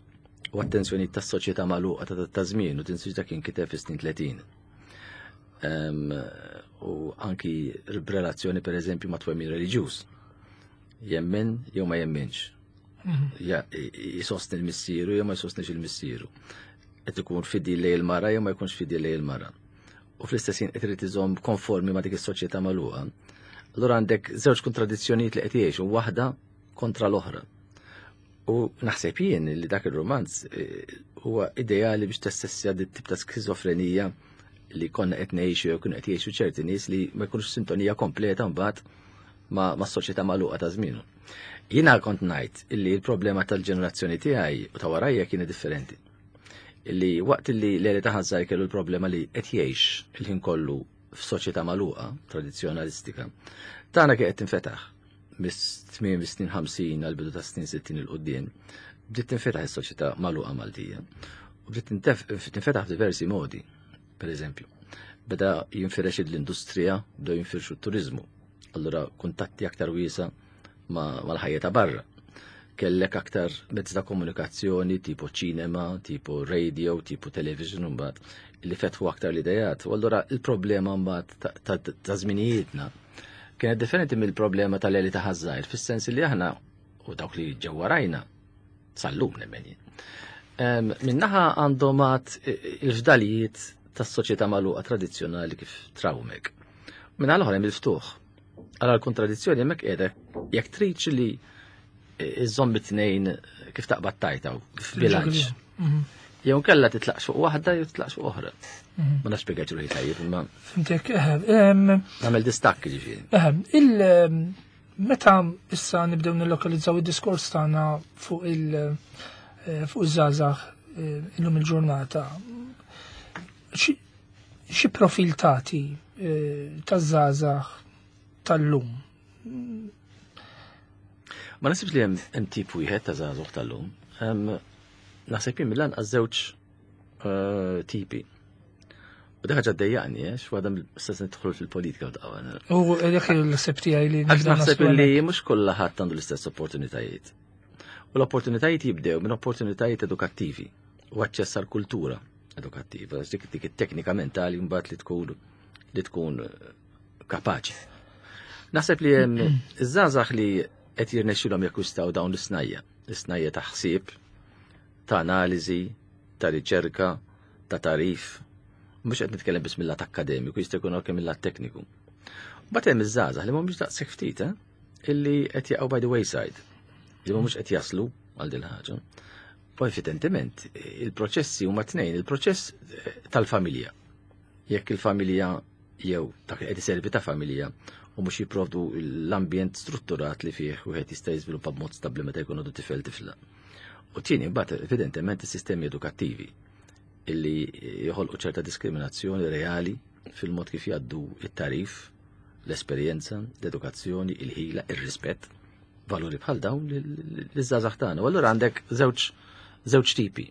u għat-tensjonijiet tas-soċjetà magħluqa ta' żmien u tinsiġ kien kiteb fis-snin 30. U anki b'relazzjoni per eżempju ma' twemmin reliġjuż. Jemmen jew ma jemminx. Jisostni l-missieru jew ma jsostnix il-missieru. Qed ikun fidil lejn il-mara jew ma jkunx fidil lejn il-mara. U fl-istess ħin qed irid iżomm konformi ma' dik is-soċjetà magħluqa. Allura għandek żewġ kontradizzjonijiet li qed jgħixu waħda kontra l-oħra. U naħseb jien li dak ir-romanz huwa ideali biex tassessja dit tip ta' skizofrenija li konna qed ngħixu jew kienu qed jgħixu ċerti nies li ma jkunux sintonija kompleta mbagħad ma' soċjetà magħluqa ta' żmienu. Jiena kont ngħid illi l-problema tal-ġenerazzjoni tiegħi u ta' warajja kienet differenti. Illi waqt illi l-Għeli ta' Ħaż-Żgħir kellu l-problema li qed jgħix il-ħin kollu f'soċjetà magħluqa tradizzjonalistika, tagħna kien qed tinfetaħ mis-tmiem is-snin 50 għal bidu ta' snin 60 il quddiem, bdiet tinfetaħ is-soċjetà magħluqa Maltija. U bdiet tinfetaħ f'diversi modi. Per eżempju, beda jinfirex l-industrija, bdew jinfirxu t-turizmu. Allura kuntatti aktar wiesa mal-ħajja ta' barra. Kellek aktar mezzi ta' komunikazzjoni tipo ċinema, tipo radio, tipo television mbagħad li fetħu aktar l-idejat. U allura il-problema mbagħad ta' żminijietna kienet differenti mill-problema tal-Għeli ta' Ħaż-Żgħir, fis-sens li aħna u dawk li ġew warajna sal-lum nemmen jien. Minnaħa għandhom għad il-fdalijiet tas-soċjetà magħluqa tradizzjonali kif trawmek. Minnaħa l-oħra hemm il-ftuħ. Għala l-kontradizzjoni hemmhekk qiegħda jekk tridx li iżżomm it-tnejn kif taqbad tajta u f'bilanċ. Jew kella titlaqx fuq waħda jew titlaqx fuq oħra. Ma nafx spjegajt ruħi tajjeb imma. Fimtek, Nagħmel distakk ġifieri. Meta issa nibdew nillokalizzaw id-diskors tagħna fuq iż-żgħażagħ illum il-ġurnata, xi profil tagħti taż-żgħażagħ tal-lum? Ma nasibx li hemm tip wieħed ta' żgħażagħ tal-lum. Naħseb jien mill-anqas żewġ tipi. U dik ħaġa ddejjaqni, x'waħda mill-istess nidħlu fil-politika u taqgħu. U dik il-ħsieb tiegħi li Għax nibda naħseb naslu li hemmhekk. mhux kulħadd għandu l-istess opportunitajiet. U l-opportunitajiet jibdew minn opportunitajiet edukattivi u aċċess għal kultura edukattiva, għax dik it-teknika mentali mbagħad li tkun kapaċi. Naħseb li hemm iż-żgħażagħ li qed jirnexxilhom jakkwistaw dawn l-isnajja, l-isnajja ta' ħsieb, ta' analiżi, ta' riċerka, ta' tarif, mhux qed nitkellem biss mill-lat akkademiku, jista' jkun anke mill-lat tekniku. Mbagħad hemm iż-żgħażagħ li mhumiex daqshekk ftit, eh? illi qed jaqgħu by the wayside, li mhumiex qed jaslu għal din ħaġa. U evidentement, il-proċessi huma tnejn, il-proċess eh, tal-familja. Jekk il-familja jew dak li qed iservi ta' familja u mhux jipprovdu l-ambjent strutturat li fih wieħed jista' jiżviluppa b'mod stabbli meta jkun għadu tifel tifla. U tieni mbagħad evidentement is-sistemi edukattivi illi joħolqu ċerta diskriminazzjoni reali fil-mod kif jgħaddu it-tarif, l-esperjenza, l-edukazzjoni, il-ħila, ir-rispett, valuri bħal dawn l-żgħażagħ tagħna. U allura għandek żewġ żewġ tipi.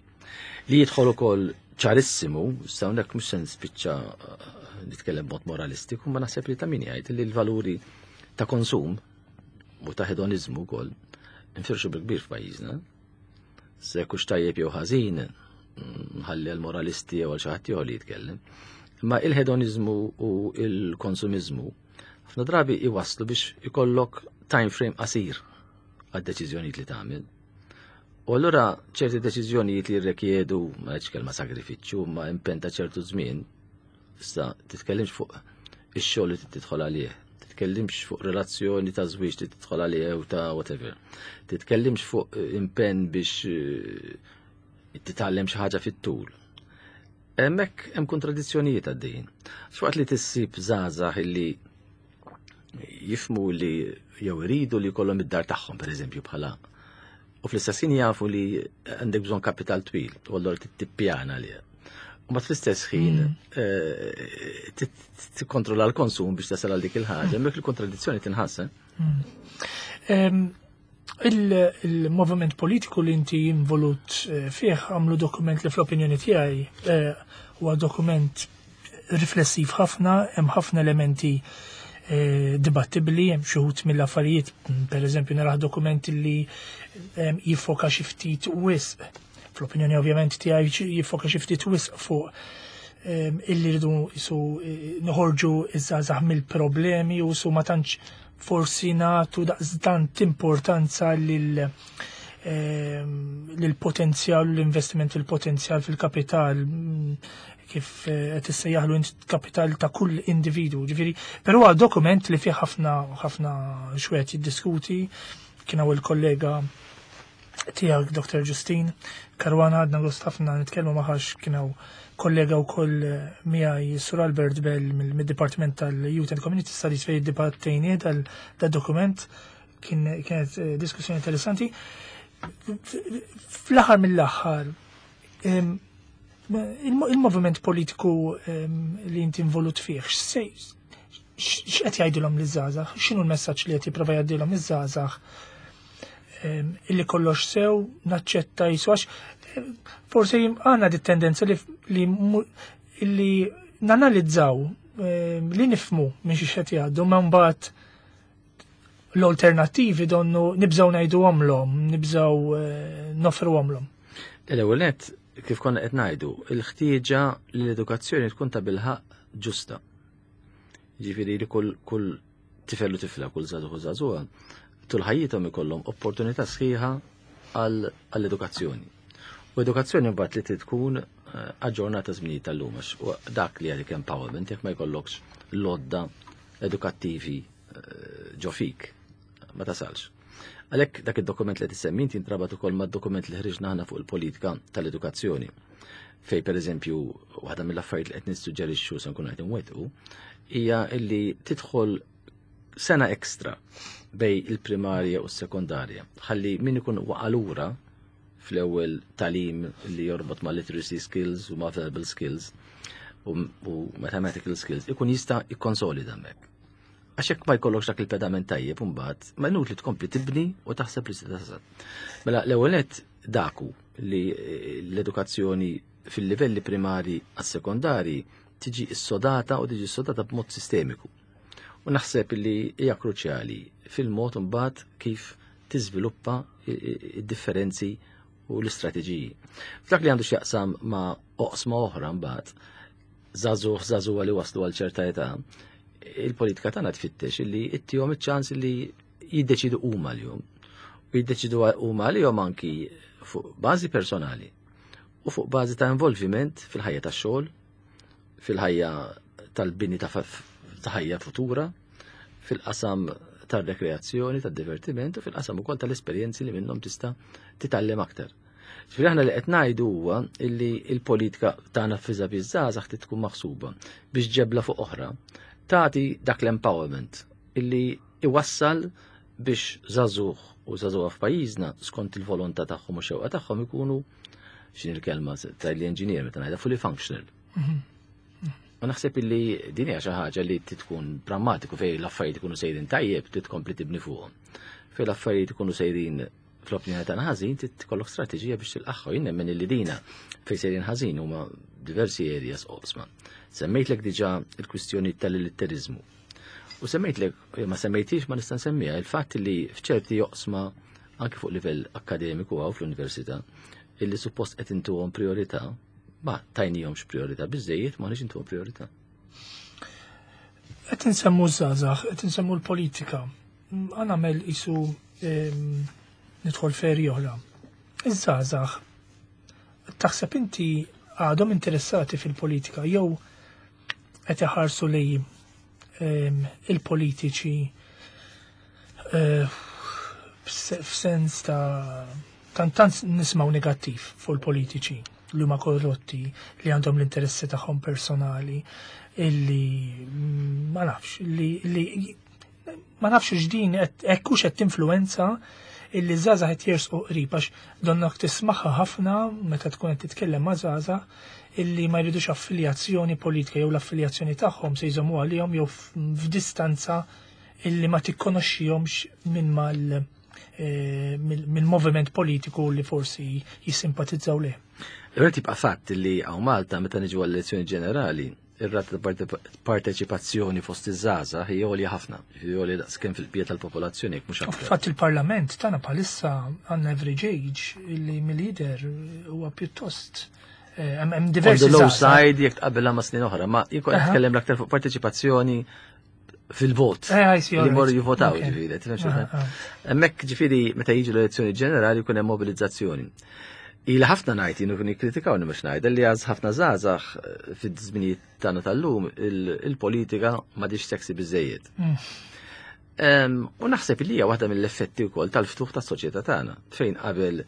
Li jidħol ukoll ċarissimu, sa hawnhekk mhux se nispiċċa eh, nitkellem b'mod moralistiku, ma naħseb li ta' min jgħid li l-valuri ta' konsum u ta' hedonizmu wkoll infirxu bil-kbir f'pajjiżna. Se kux tajjeb jew ħażin, nħalli għal-moralisti jew għal xi ħadd li jitkellem. Imma il-hedonizmu u il-konsumizmu ħafna drabi iwasslu biex ikollok time frame qasir għad-deċiżjonijiet li tagħmel. U allura ċerti deċiżjonijiet li jirrekjedu, ma ngħidx kelma sagrifiċċju, ma impenn ta' ċertu żmien, issa titkellimx fuq ix-xogħol li tidħol għalih, titkellimx fuq relazzjoni ta' żwieġ li tidħol għalih jew ta' whatever. Titkellimx fuq impenn biex eh, titgħallem xi ħaġa fit-tul. Hemmhekk hemm kontradizzjonijiet għaddejjin. Xwaqt li tissib żgħażagħ illi jifmu li jew iridu li jkollhom id-dar tagħhom pereżempju bħala u fl-istess ħin jafu li għandek bżonn kapital twil u allura tippjana li. U ma fl-istess ħin mm. eh, tikkontrolla l-konsum biex tasal għal dik il-ħaġa, hemmhekk il-kontradizzjoni tinħass. Eh? Mm. Il-moviment politiku li inti involut eh, fih għamlu dokument li fl-opinjoni tiegħi huwa dokument riflessiv ħafna, hemm ħafna elementi eh, dibattibbli, hemm xi wħud mill-affarijiet, pereżempju naraħ dokument li eh, jiffoka xi ftit wisq, fl-opinjoni ovvjament tiegħi jiffoka xi ftit wisq fuq eh, illi rridu jisu noħorġu iż-żgħażagħ mill-problemi u su ma tantx forsi nagħtu daqstant importanza lil l-potenzjal, l-investiment fil-potenzjal fil-kapital, kif eh, qed issejjaħlu int kapital ta' kull individu. Ġifieri, però huwa dokument li fih ħafna ħafna xwed jiddiskuti, kien hawn il-kollega tiegħek Dr. Justin Karwana għadna gost ħafna nitkellmu maħax kien hawn kollega wkoll eh, miegħi Sur Albert Bell mid-Dipartiment tal-Youth and Community Studies fejn iddibattejnieh dal-dokument kien kienet eh, diskussjoni interessanti. Fl-aħħar mill-aħħar Il-moviment politiku li inti involut fih, x'qed jgħidilhom liż-żgħażagħ? X'inhu l-messaġġ li qed jipprova jgħaddilhom iż-żgħażagħ illi kollox sew naċċetta jisu għax forsi għandna dit tendenza li li nanalizzaw li nifmu minn xi qed jgħaddu ma mbagħad l-alternattivi donnu nibżgħu ngħidu għomlhom, nibżgħu eh, nofru għomlhom. L-ewwel nett, kif konna qed ngħidu, il-ħtieġa li l-edukazzjoni tkun ta' bilħaq ġusta. Ġifieri li kull kull tifel u tifla, kull żagħżugħ u żagħżugħa, tul ħajjithom ikollhom opportunità sħiħa għall-edukazzjoni. U edukazzjoni mbagħad li trid tkun eh, aġġornata żminijiet tal-lum għax dak li għalik empowerment jekk ma jkollokx l-odda edukattivi eh, ġo fik, ma tasalx. Għalhekk dak id-dokument li tissemmi inti jintrabat ukoll mad-dokument li ħriġna aħna fuq il-politika tal-edukazzjoni. Fej pereżempju waħda mill-affarijiet li qed nissuġġerixxu se nkunu qed inwettqu hija li tidħol sena ekstra bej il-primarja u s-sekondarja. Ħalli min ikun waqa' lura fl-ewwel talim li jorbot ma' literacy skills u ma' verbal skills u, u mathematical skills ikun jista' jikkonsolida hemmhekk. Għax jekk ma jkollokx dak il-pedament tajjeb imbagħad, ma inutli tkompli tibni u taħseb li se tasal. Mela l-ewwel nett daku li eh, l-edukazzjoni fil-livelli primari għas-sekondari tiġi issodata u tiġi issodata b'mod sistemiku. U naħseb li hija kruċjali fil-mod imbagħad kif tiżviluppa id-differenzi u l-istrateġiji. F'dak li għandu x'jaqsam ma' oqsma oħra mbagħad, żagħżugħ żagħżugħa li waslu għal ċerta età, Il-politika tagħna tfittex illi ittihom iċ-ċans illi jiddeċidu huma l-jum. U jiddeċidu huma għalihom anki fuq bażi personali u fuq bażi ta' involviment fil-ħajja tax-xogħol, fil-ħajja tal-bini ta' ħajja futura, fil-qasam tar-rekreazzjoni, tad-divertiment u fil-qasam ukoll tal-esperjenzi li minnhom tista' titgħallem aktar. Ġifieri aħna li qed ngħidu huwa illi l-politika tagħna fiżavi żgħażagħ trid tkun maħsuba biex ġebla fuq oħra tagħti dak l-empowerment illi iwassal biex żagħżugħ u żagħżugħa f'pajjiżna skont il-volontà tagħhom u xewqa tagħhom ikunu x'in il-kelma tal engineer meta ngħidha fully functional. U naħseb illi din hija xi ħaġa li tkun prammatiku fejn l-affarijiet ikunu sejrin tajjeb trid tkompli tibni fuqhom. Fejn l-affarijiet ikunu sejrin fl-opinjoni tagħna ħażin trid tkollok strateġija biex tilqaħħu. Jien nemmen illi dina fejn sejrin ħażin huma diversi areas oqsma. Semmejtlek diġà il-kwistjoni tal-illitteriżmu. U semmejtlek, ma semmejtix ma nista' nsemmiha, il-fatt li f'ċerti oqsma anke fuq livell akkademiku għaw fl-università illi suppost qed intuhom priorità, ma tajnihomx priorità biżejjed ma nix intuhom priorità. Qed insemmu żgħażagħ, qed insemmu l-politika. Għan nagħmel isu nidħol feri oħra. Iż-żgħażagħ taħseb inti għadhom interessati fil-politika jew qed iħarsu lej il-politiċi f'sens ta' tant tant nismaw negattiv fuq il-politiċi li huma korrotti, li għandhom l-interessi tagħhom personali, illi ma nafx, li ma nafx x'din hekk hux qed tinfluwenza illi żgħażagħ qed jersqu qrib għax donnok tismaħħa ħafna meta tkun qed titkellem ma' żgħażagħ illi ma jridux affiljazzjoni politika jew l-affiljazzjoni tagħhom se jżommu għalihom jew f'distanza illi ma tikkonoxxihomx minn mal mill-moviment politiku li forsi jissimpatizzaw leh. L-ewwel tibqa' fatt li hawn Malta meta niġu għall-elezzjoni ġenerali, ir-rata ta' parteċipazzjoni fost iż-żgħażagħ hija għolja ħafna, jiġifieri għolja daqskemm fil-bqija tal-popolazzjoni jekk mhux aktar. Fatt il-Parlament tagħna bħalissa għandna average age illi mill-lider huwa pjuttost hemm diversi. On the low side jekk tqabbilha ma' snin oħra, ma jien kont nitkellem l-aktar fuq parteċipazzjoni fil-vot. Li morru jivvotaw, ġifieri. Hemmhekk ġifieri meta jiġu l-elezzjoni ġenerali jkun hemm mobilizzazzjoni. Ila ħafna ngħid jienu kien jikkritikawni mhux ngħid li għaż ħafna żgħażagħ fid-żminijiet tagħna tal-lum il-politika m'għadix sexy biżejjed. U naħseb li hija waħda mill-effetti wkoll tal-ftuħ tas-soċjetà tagħna fejn qabel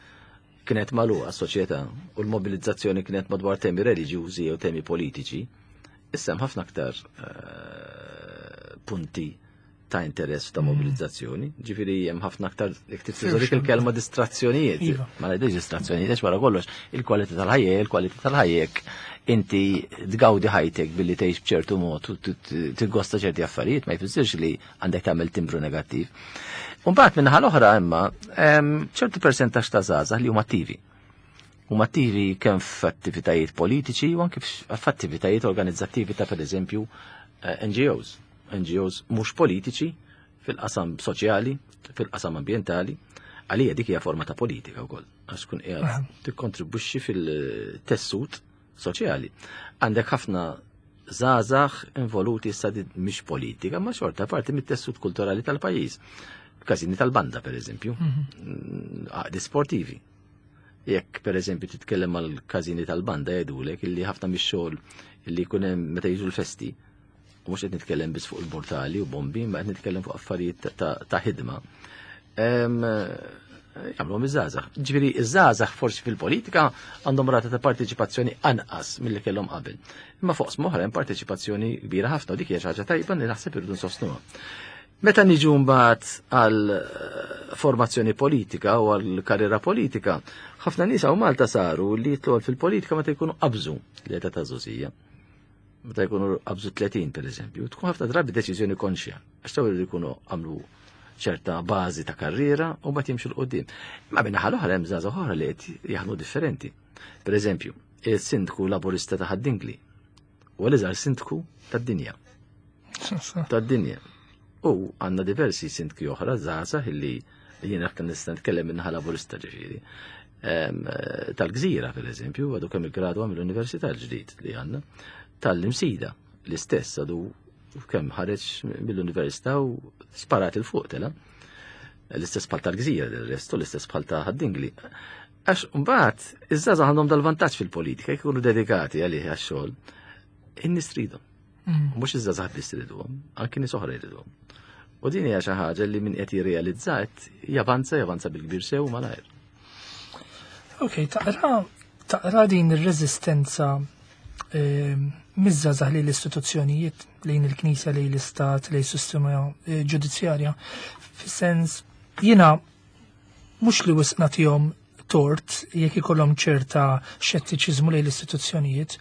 kienet magħluqa s-soċjetà u l-mobilizzazzjoni kienet madwar temi reliġjużi jew temi politiċi, issa hemm ħafna aktar punti ta' interess ta' mobilizzazzjoni. Ġifieri hemm ħafna aktar jekk trid dik il-kelma distrazzjonijiet. Ma ngħidx distrazzjonijiet għax wara kollox il-kwalità tal-ħajja il-kwalità tal-ħajja jekk inti tgawdi ħajtek billi tgħix b'ċertu mod u tiggosta ċerti affarijiet ma jfissirx li għandek tagħmel timbru negattiv. U mbagħad min-naħa l-oħra imma ċertu persentaġġ ta' żgħażagħ li huma attivi. Huma attivi kemm f'attivitajiet politiċi u anke f'attivitajiet organizzattivi ta' pereżempju NGOs. NGOs mhux politiċi fil-qasam soċjali, fil-qasam ambjentali, għalija dik hija forma ta' politika wkoll, għax tkun qiegħed tikkontribwixxi fil-tessut soċjali. Għandek ħafna żgħażagħ involuti issa mhix politika, ma xorta parti mit-tessut kulturali tal-pajjiż. Każini tal-banda pereżempju, għaqdi sportivi. Jekk pereżempju titkellem mal-każini tal-banda jgħidulek illi ħafna mix-xogħol illi jkun hemm meta jiġu l-festi, u mhux qed nitkellem biss fuq il-mortali u bombi, ma qed nitkellem fuq affarijiet ta' ħidma. Jagħmluhom iż-żgħażagħ. Ġifieri iż-żgħażagħ forsi fil-politika għandhom rata ta' parteċipazzjoni anqas milli kellhom qabel. Imma fuq oħra hemm parteċipazzjoni kbira ħafna u dik hija xi ħaġa tajba li naħseb irridu nsostnuha. Meta niġu mbagħad għal formazzjoni politika u għal karriera politika, ħafna nies hawn Malta saru li jitlu fil-politika meta jkunu qabżu l-età ta' żgħożija. Meta jkunu qabżu 30 pereżempju, tkun ħafna drabi deċiżjoni konxja, għax taw li jkunu għamlu ċerta bażi ta' karriera u mbagħad jimxu 'l quddiem. Ma min-naħa l-oħra hemm żgħażagħ oħra li qed jaħdmu differenti. Pereżempju, il-sindku laburista ta' Ħad-Dingli huwa l-iżgħar sindku tad-dinja. Tad-dinja. U għandna diversi sindki oħra żgħażagħ illi jien aktar nista' nitkellem min-naħa laburista ġifieri. Tal-Gżira, pereżempju, għadu kemm iggradwa mill-Università l-ġdid li għandna. Tal-Imsida, l-istess għadu U kemm ħareġ mill-università u sparat il fuq tela. L-istess bħal tal-gżira, l-restu l-istess bħal ta' ħaddingli. Għax mbagħad iż-żgħażagħ għandhom dal-vantaġġ fil-politika, jkunu dedikati għalih għax-xogħol. In-nies tridhom. Mhux iż-żgħażagħ biss iriduhom, anki nies oħra jriduhom. U din hija xi ħaġa li min qed jirrealizza qed javanza javanza bil-kbir sew malajr. Ok, taqra taqra din ir-reżistenza ehm, miż-żgħażagħ lejn l-istituzzjonijiet, lejn il-Knisja, lejn l-Istat, lejn is-sistema eh, ġudizzjarja, fis-sens jiena mhux li wisq nagħtihom tort jekk ikollhom ċerta xettiċiżmu lejn l-istituzzjonijiet.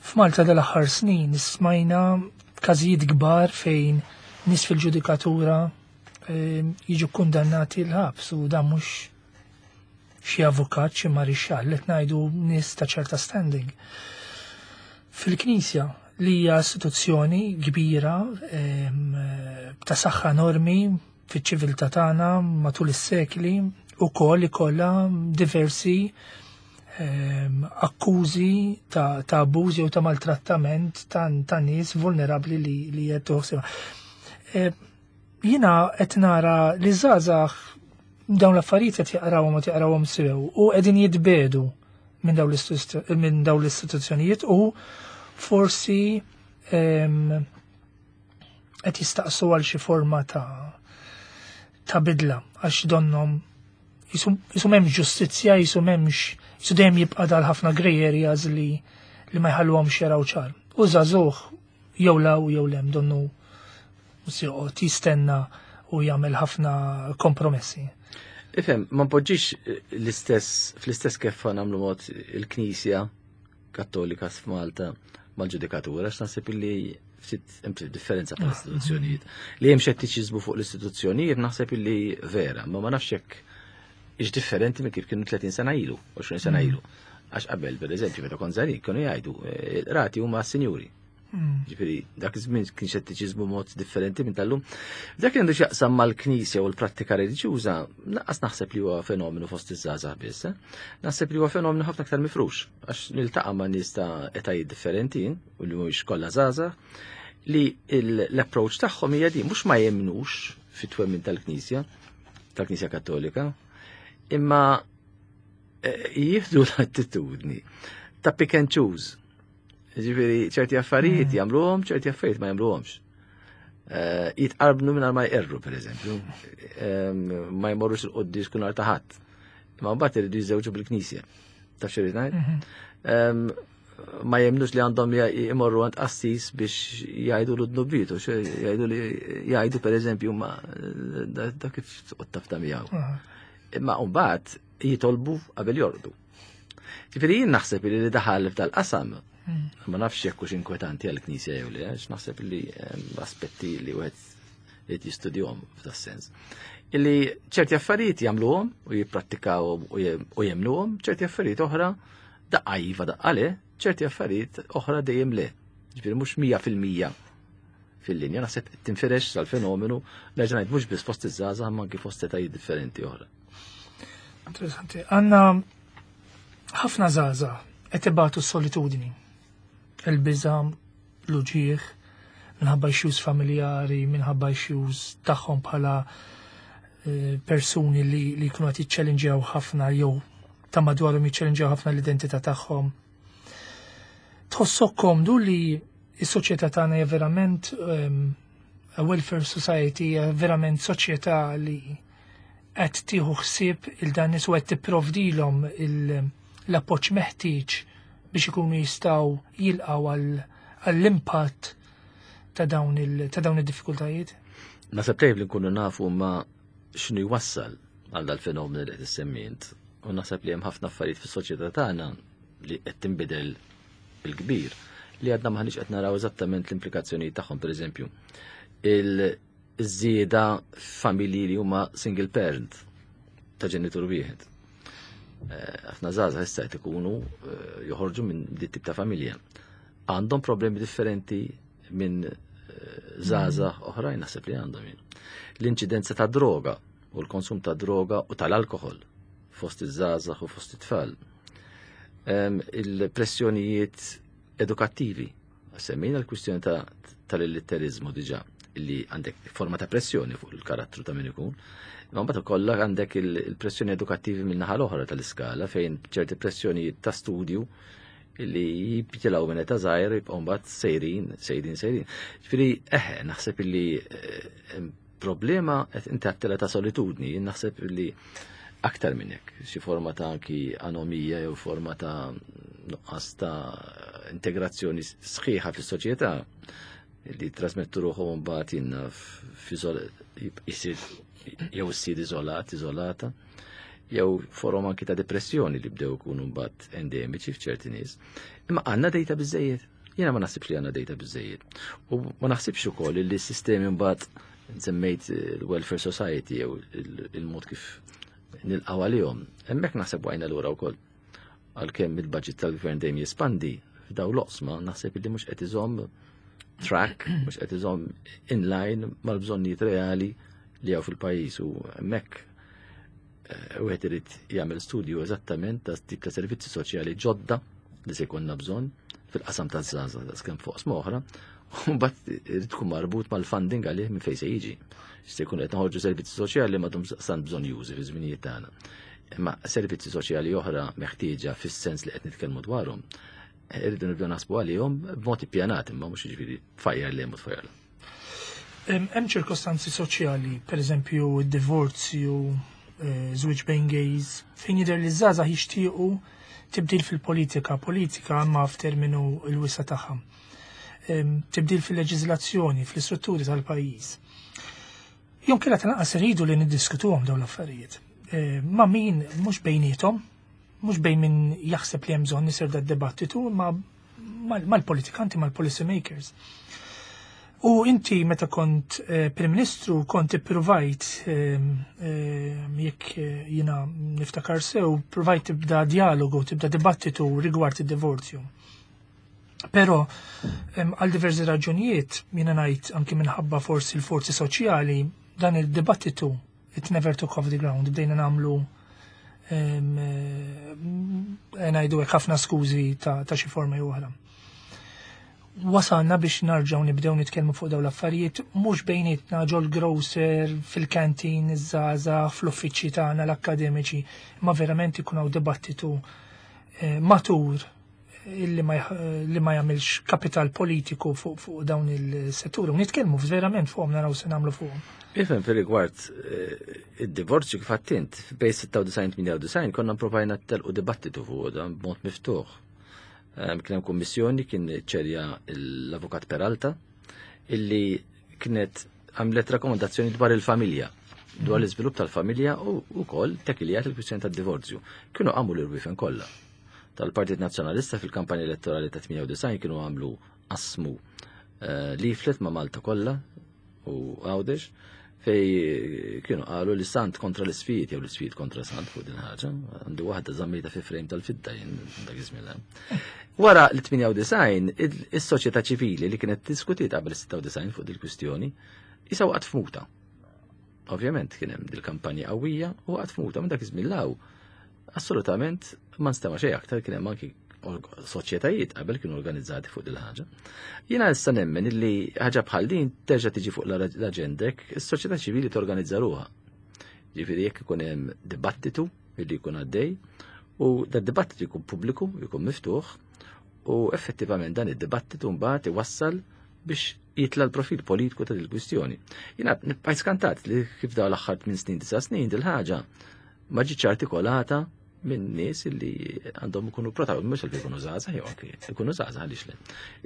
F'Malta dal-aħħar snin smajna każijiet kbar fejn nies fil-ġudikatura ehm, jiġu kundannati l-ħabs u dan mhux xi avukat, xi marixxall, qed ngħidu nies ta' ċerta standing. Fil-Knisja li hija istituzzjoni kbira ehm, ta' saħħa enormi fiċ-ċiviltà tagħna matul is-sekli ukoll ikollha diversi ehm, akkużi ta', ta abbużi u ta' maltrattament ta', ta nies vulnerabbli li, li qed toħsibha. Ehm, jiena qed nara li żgħażagħ dawn l-affarijiet qed jaqrawhom u jaqrawhom sew u qegħdin jitbedu minn dawn l-istituzzjonijiet u forsi ehm, qed jistaqsu għal xi forma ta' ta' bidla għax donnom jisu m'hemmx ġustizzja, jisu m'hemmx jisu dejjem jibqa' dal ħafna grey areas li li ma jħalluhomx jaraw ċar. U żagħżugħ jew law jew lem donnu joqgħod jistenna u jagħmel ħafna kompromessi. Ifhem, ma npoġġix l-istess fl-istess keffa nagħmlu mod il-Knisja Kattolika f'Malta mal-ġudikatura, għax naħseb illi ftit hemm differenza bħal istituzzjonijiet. Li hemm xettiċiżmu fuq l-istituzzjonijiet naħseb illi vera, ma ma nafx hekk ix differenti minn kif kienu 30 sena ilu, 20 sena ilu. Għax qabel, per eżempju, meta kont żgħir, kienu jgħidu, eh, rati huma sinjuri. Ġifieri, dak iż-żmien kien xettiċiżmu mod differenti minn tal-lum. Dak li għandu x'jaqsam mal-Knisja u l-prattika reliġjuża, lanqas naħseb li huwa fenomenu fost iż-żgħażagħ biss. Eh? Naħseb li huwa fenomenu ħafna aktar mifrux, għax niltaqa' ma' nies ta' etajiet differenti u li mhuwiex kollha żgħażagħ, li l-approach tagħhom hija din mhux ma jemnux fit-twemmin tal-Knisja, tal-Knisja Kattolika, imma eh, jieħdu l-attitudni ta' pick and choose. Ġifieri ċerti affarijiet jagħmluhom, ċerti affarijiet ma jagħmluhomx. Eh, jitqarbnu mingħajr ma jqerru, pereżempju. Ma jmorrux il-qoddis kun ta' ħadd. Imma mbagħad iridu jiżżewġu bil-knisja. Taf xi ngħid? Mhm. Ma jemnux li għandhom imorru għand qassis biex jgħidu l-dnubitu, jgħidu li jgħidu pereżempju ma da kif taf ta' miegħu. Imma mbagħad jitolbu qabel jorqdu. Ġifieri jien naħseb li daħal f'dal-qasam hmm. ma nafx jekk hux inkwetanti għall-Knisja jew le, għax naħseb li aspetti li wieħed irid jistudjhom f'das-sens. Illi ċerti affarijiet jagħmluhom u jipprattikawhom u jemnuhom, ċerti affarijiet oħra daqqa iva daqqa le, ċerti affarijiet oħra dejjem le. Ġifieri mhux 100% fil-linja, naħseb tinfirex sal-fenomenu, nerġa' ngħid mhux biss fost iż-żgħażagħ ma anki fost etajiet differenti oħra. Interessanti. Għanna ħafna żgħażagħ qed ibatu s-solitudni. Il-biża, l-uġieħ, minħabba issues familjari, minħabba issues tagħhom bħala eh, persuni li, li jkunu qed jiċċellinġjaw ħafna jew ta' madwarhom jiċċellinġjaw ħafna l-identità tagħhom. Tħossok komdu li s-soċjetà tagħna hija verament um, a welfare society, hija verament soċjetà li qed tieħu ħsieb il dan nies u qed tipprovdilhom l-appoġġ meħtieġ biex ikunu jistgħu jilqgħu għall-impatt ta' dawn id-diffikultajiet? Naħseb tajjeb li nkunu nafu ma x'inhu jwassal għal dal-fenomenu li qed issemmi int. U naħseb li hemm ħafna affarijiet fis-soċjetà tagħna li qed tinbidel bil-kbir li għadna maħniex qed naraw eżattament l-implikazzjonijiet tagħhom, pereżempju. Il-żieda familji li huma single parent ta' ġenitur wieħed. Eh, ħafna żgħażagħ issa qed ikunu eh, joħorġu minn dit tip ta' familja. Għandhom problemi differenti minn eh, żgħażagħ oħrajn naħseb li għandhom jien. L-inċidenza ta' droga u l-konsum ta' droga u tal-alkohol fost iż-żgħażagħ u fost it-tfal. Il-pressjonijiet edukattivi. Semmejna l-kwistjoni tal-illitteriżmu diġà li għandek forma ta' pressjoni fuq il-karattru ta' min ikun. Imma mbagħad ukoll għandek il-pressjoni edukattivi min-naħa l-oħra tal-iskala fejn ċerti pressjonijiet ta' studju li jibtilaw minn età żgħira jibqgħu mbagħad sejrin, sejrin, sejrin. Ġifieri eħe, naħseb illi eh, problema qed inti għattela ta' solitudni, jien naħseb illi aktar minn hekk, xi forma ta' anki anomija jew forma ta' nuqqas ta' integrazzjoni sħiħa fis-soċjetà li trasmettu ruħhom mbagħad jinna jsir jew issir iżolat, iżolata, jew forom anki ta' depressjoni li bdew ikunu mbagħad endemiċi f'ċerti nies. Imma għandna dejta biżejjed. Jiena ma naħsibx li għandna dejta biżejjed. U ma naħsibx ukoll li s-sistemi mbagħad semmejt il-welfare society jew il-mod kif nilqgħu għalihom. Hemmhekk naħseb wajna lura wkoll. Għalkemm il-budget tal-gvern dejjem jespandi f'daw l-oqsma naħseb li mhux qed iżomm track, mhux qed iżomm inline mal-bżonnijiet reali li hawn fil-pajjiż u hemmhekk eh, wieħed irid jagħmel studju eżattament ta' tip ta' servizzi soċjali ġodda li se jkollna bżonn fil-qasam ta' żgħażagħ ta' skemm fuq oħra, u mbagħad irid tkun marbut mal-funding għalih minn fejn se jiġi. Se jkun qed noħorġu servizzi soċjali m'għadhom sant bżonn jużi fi żminijiet tagħna. Imma servizzi soċjali oħra meħtieġa fis-sens li qed nitkellmu dwarhom, irridu nibdew naħsbu għalihom b'mod ippjanat imma mhux jiġifieri tfajjar lem u tfajjar. Hemm ċirkostanzi soċjali, pereżempju d-divorzju, eh, żwieġ bejn gays, fejn jidher li żgħażagħ jixtiequ tibdil fil-politika, politika imma f'terminu l-wisa tagħha. Tibdil fil-leġiżlazzjoni, fl-istrutturi tal-pajjiż. Jew kella tal-anqas iridu li niddiskutuhom dawn l-affarijiet. Eh, ma' min mhux bejniethom, mhux bejn min jaħseb li hemm bżonn isir da dibattitu, ma mal-politikanti, mal-policy makers. U inti meta kont eh, Prim Ministru kont ippruvajt eh, jekk jiena niftakar sew, provajt tibda dialogu, tibda dibattitu rigward id-divorzju. Però għal diversi raġunijiet, jiena ngħid anki minħabba forsi l-forzi soċjali, dan il-dibattitu it never took off the ground, bdejna nagħmlu eh, ngħidu hekk ħafna skużi ta' xi forma jew oħra. Wasalna biex narġgħu nibdew nitkellmu fuq dawn l-affarijiet mhux bejnietna ġol grocer, fil-kantin, iż-żgħażagħ, fl-uffiċċji tagħna l-akkademiċi, imma verament ikun hawn dibattitu eh, matur illi ma, li ma jagħmilx kapital politiku fuq fu dawn il-setturi. U nitkellmu verament fuqhom naraw se nagħmlu fuqhom. Ifhem fir-rigward eh, id-divorzju kif għattint, bej 96-98 konna provajna telqu dibattitu fuq dan b'mod miftuħ. Ehm, kien hemm kummissjoni kien ċerja l-Avukat Peralta illi kienet għamlet rakkomandazzjoni dwar il-familja dwar l-iżvilupp tal-familja u wkoll tekilijat il-kwistjoni tad-divorzju. Kienu għamu l-irwifen kollha tal-Partit Nazzjonalista fil-kampanja elettorali ta' 98 kienu għamlu qasmu eh, leaflet ma' Malta kollha u Għawdex fej kienu qalu li Sant kontra l-isfijiet jew l-isfijiet kontra Sant fuq din ħaġa, għandu waħda żammejta fi frame tal-fidda jien dak iż-żmien. Wara l-98 is-soċjetà ċivili li kienet diskutiet qabel 96 fuq dil-kwistjoni isa waqgħet f'muta. Ovvjament kien hemm dil-kampanja qawwija u waqgħet f'muta minn dak iż-żmien law. Assolutament ma nstema' xejn aktar kien hemm anki soċjetajiet qabel kienu organizzati fuq dil-ħaġa. Jiena issa nemmen illi ħaġa bħal din terġa' tiġi fuq l-aġendek, is-soċjetà ċivili torganizza ruha. Ġifieri jekk ikun hemm dibattitu illi jkun għaddej u da dibattitu jkun pubbliku, jkun miftuħ u effettivament dan id-dibattitu mbagħad iwassal biex jitla l-profil politiku ta' dil-kwistjoni. Jiena nibqa' skantat li kif daw l-aħħar 8 snin, 9 snin dil-ħaġa ma ġietx artikolata minn nies li għandhom ikunu protagonisti, mhux li jkunu żgħażagħ jew anki jkunu żgħażagħ għaliex le,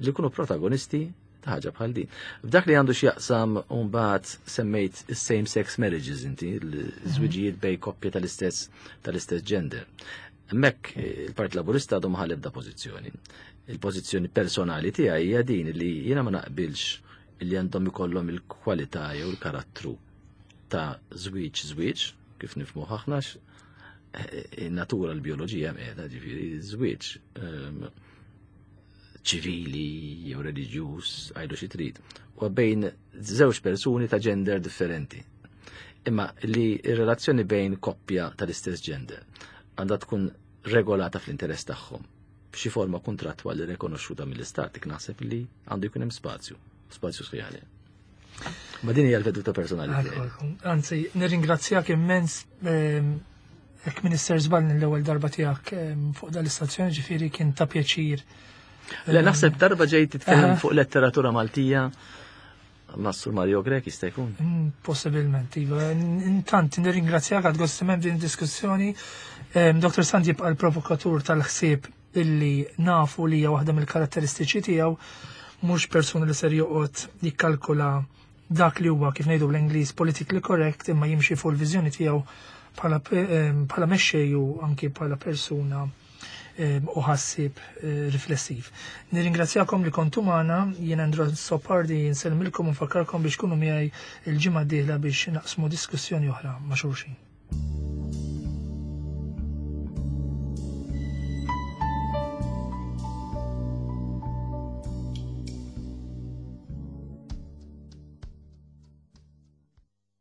li jkunu protagonisti ta' ħaġa bħal din. F'dak li għandu x'jaqsam mbagħad semmejt is-same sex marriages inti, l-żwiġijiet bej koppja tal-istess tal-istess gender. Hemmhekk il-Partit Laburista għadu ma ħa pożizzjoni. Il-pożizzjoni personali tiegħi hija din li jiena ma naqbilx li għandhom ikollhom il-kwalità jew il-karattru ta' żwieġ żwieġ, kif nifhmu aħna eh, in-natura l-bioloġija qiegħda ġifieri żwieġ ehm, ċivili jew reliġjuż għajdu xi trid. U bejn żewġ persuni ta' gender differenti. Imma li r-relazzjoni bejn koppja tal-istess gender għandha tkun regolata fl-interess tagħhom. b'xi forma kontrattwali rikonoxxuta mill-istat, dik naħseb li għandu jkun hemm spazju, spazju sħiħ. Ma din hija l-veduta personali tiegħi. Anzi, nirringrazzjak immens hekk Minister żball l-ewwel darba tiegħek fuq dal-istazzjoni ġifieri kien ta' pjaċir. Le naħseb darba ġejt titkellem fuq letteratura Maltija ma' Sur Mario Grech jista' jkun. Possibilment, iva. Intant nirringrazzjak għad gost din diskussjoni. Dr. Sant jibqa' l-provokatur tal-ħsieb illi nafu li hija waħda mill-karatteristiċi tiegħu mhux persuna li ser joqgħod jikkalkula dak li huwa kif ngħidu bl-Ingliż politically correct imma jimxi fuq il-viżjoni tiegħu bħala mexxej u anki bħala persuna u ħassib riflessiv. Nirringrazzjakom li kontu magħna, jien Andrew Sopardi nsellmilkom u nfakkarkom biex kunu miegħi il-ġimgħa d-dieħla biex naqsmu diskussjoni oħra ma' xulxin.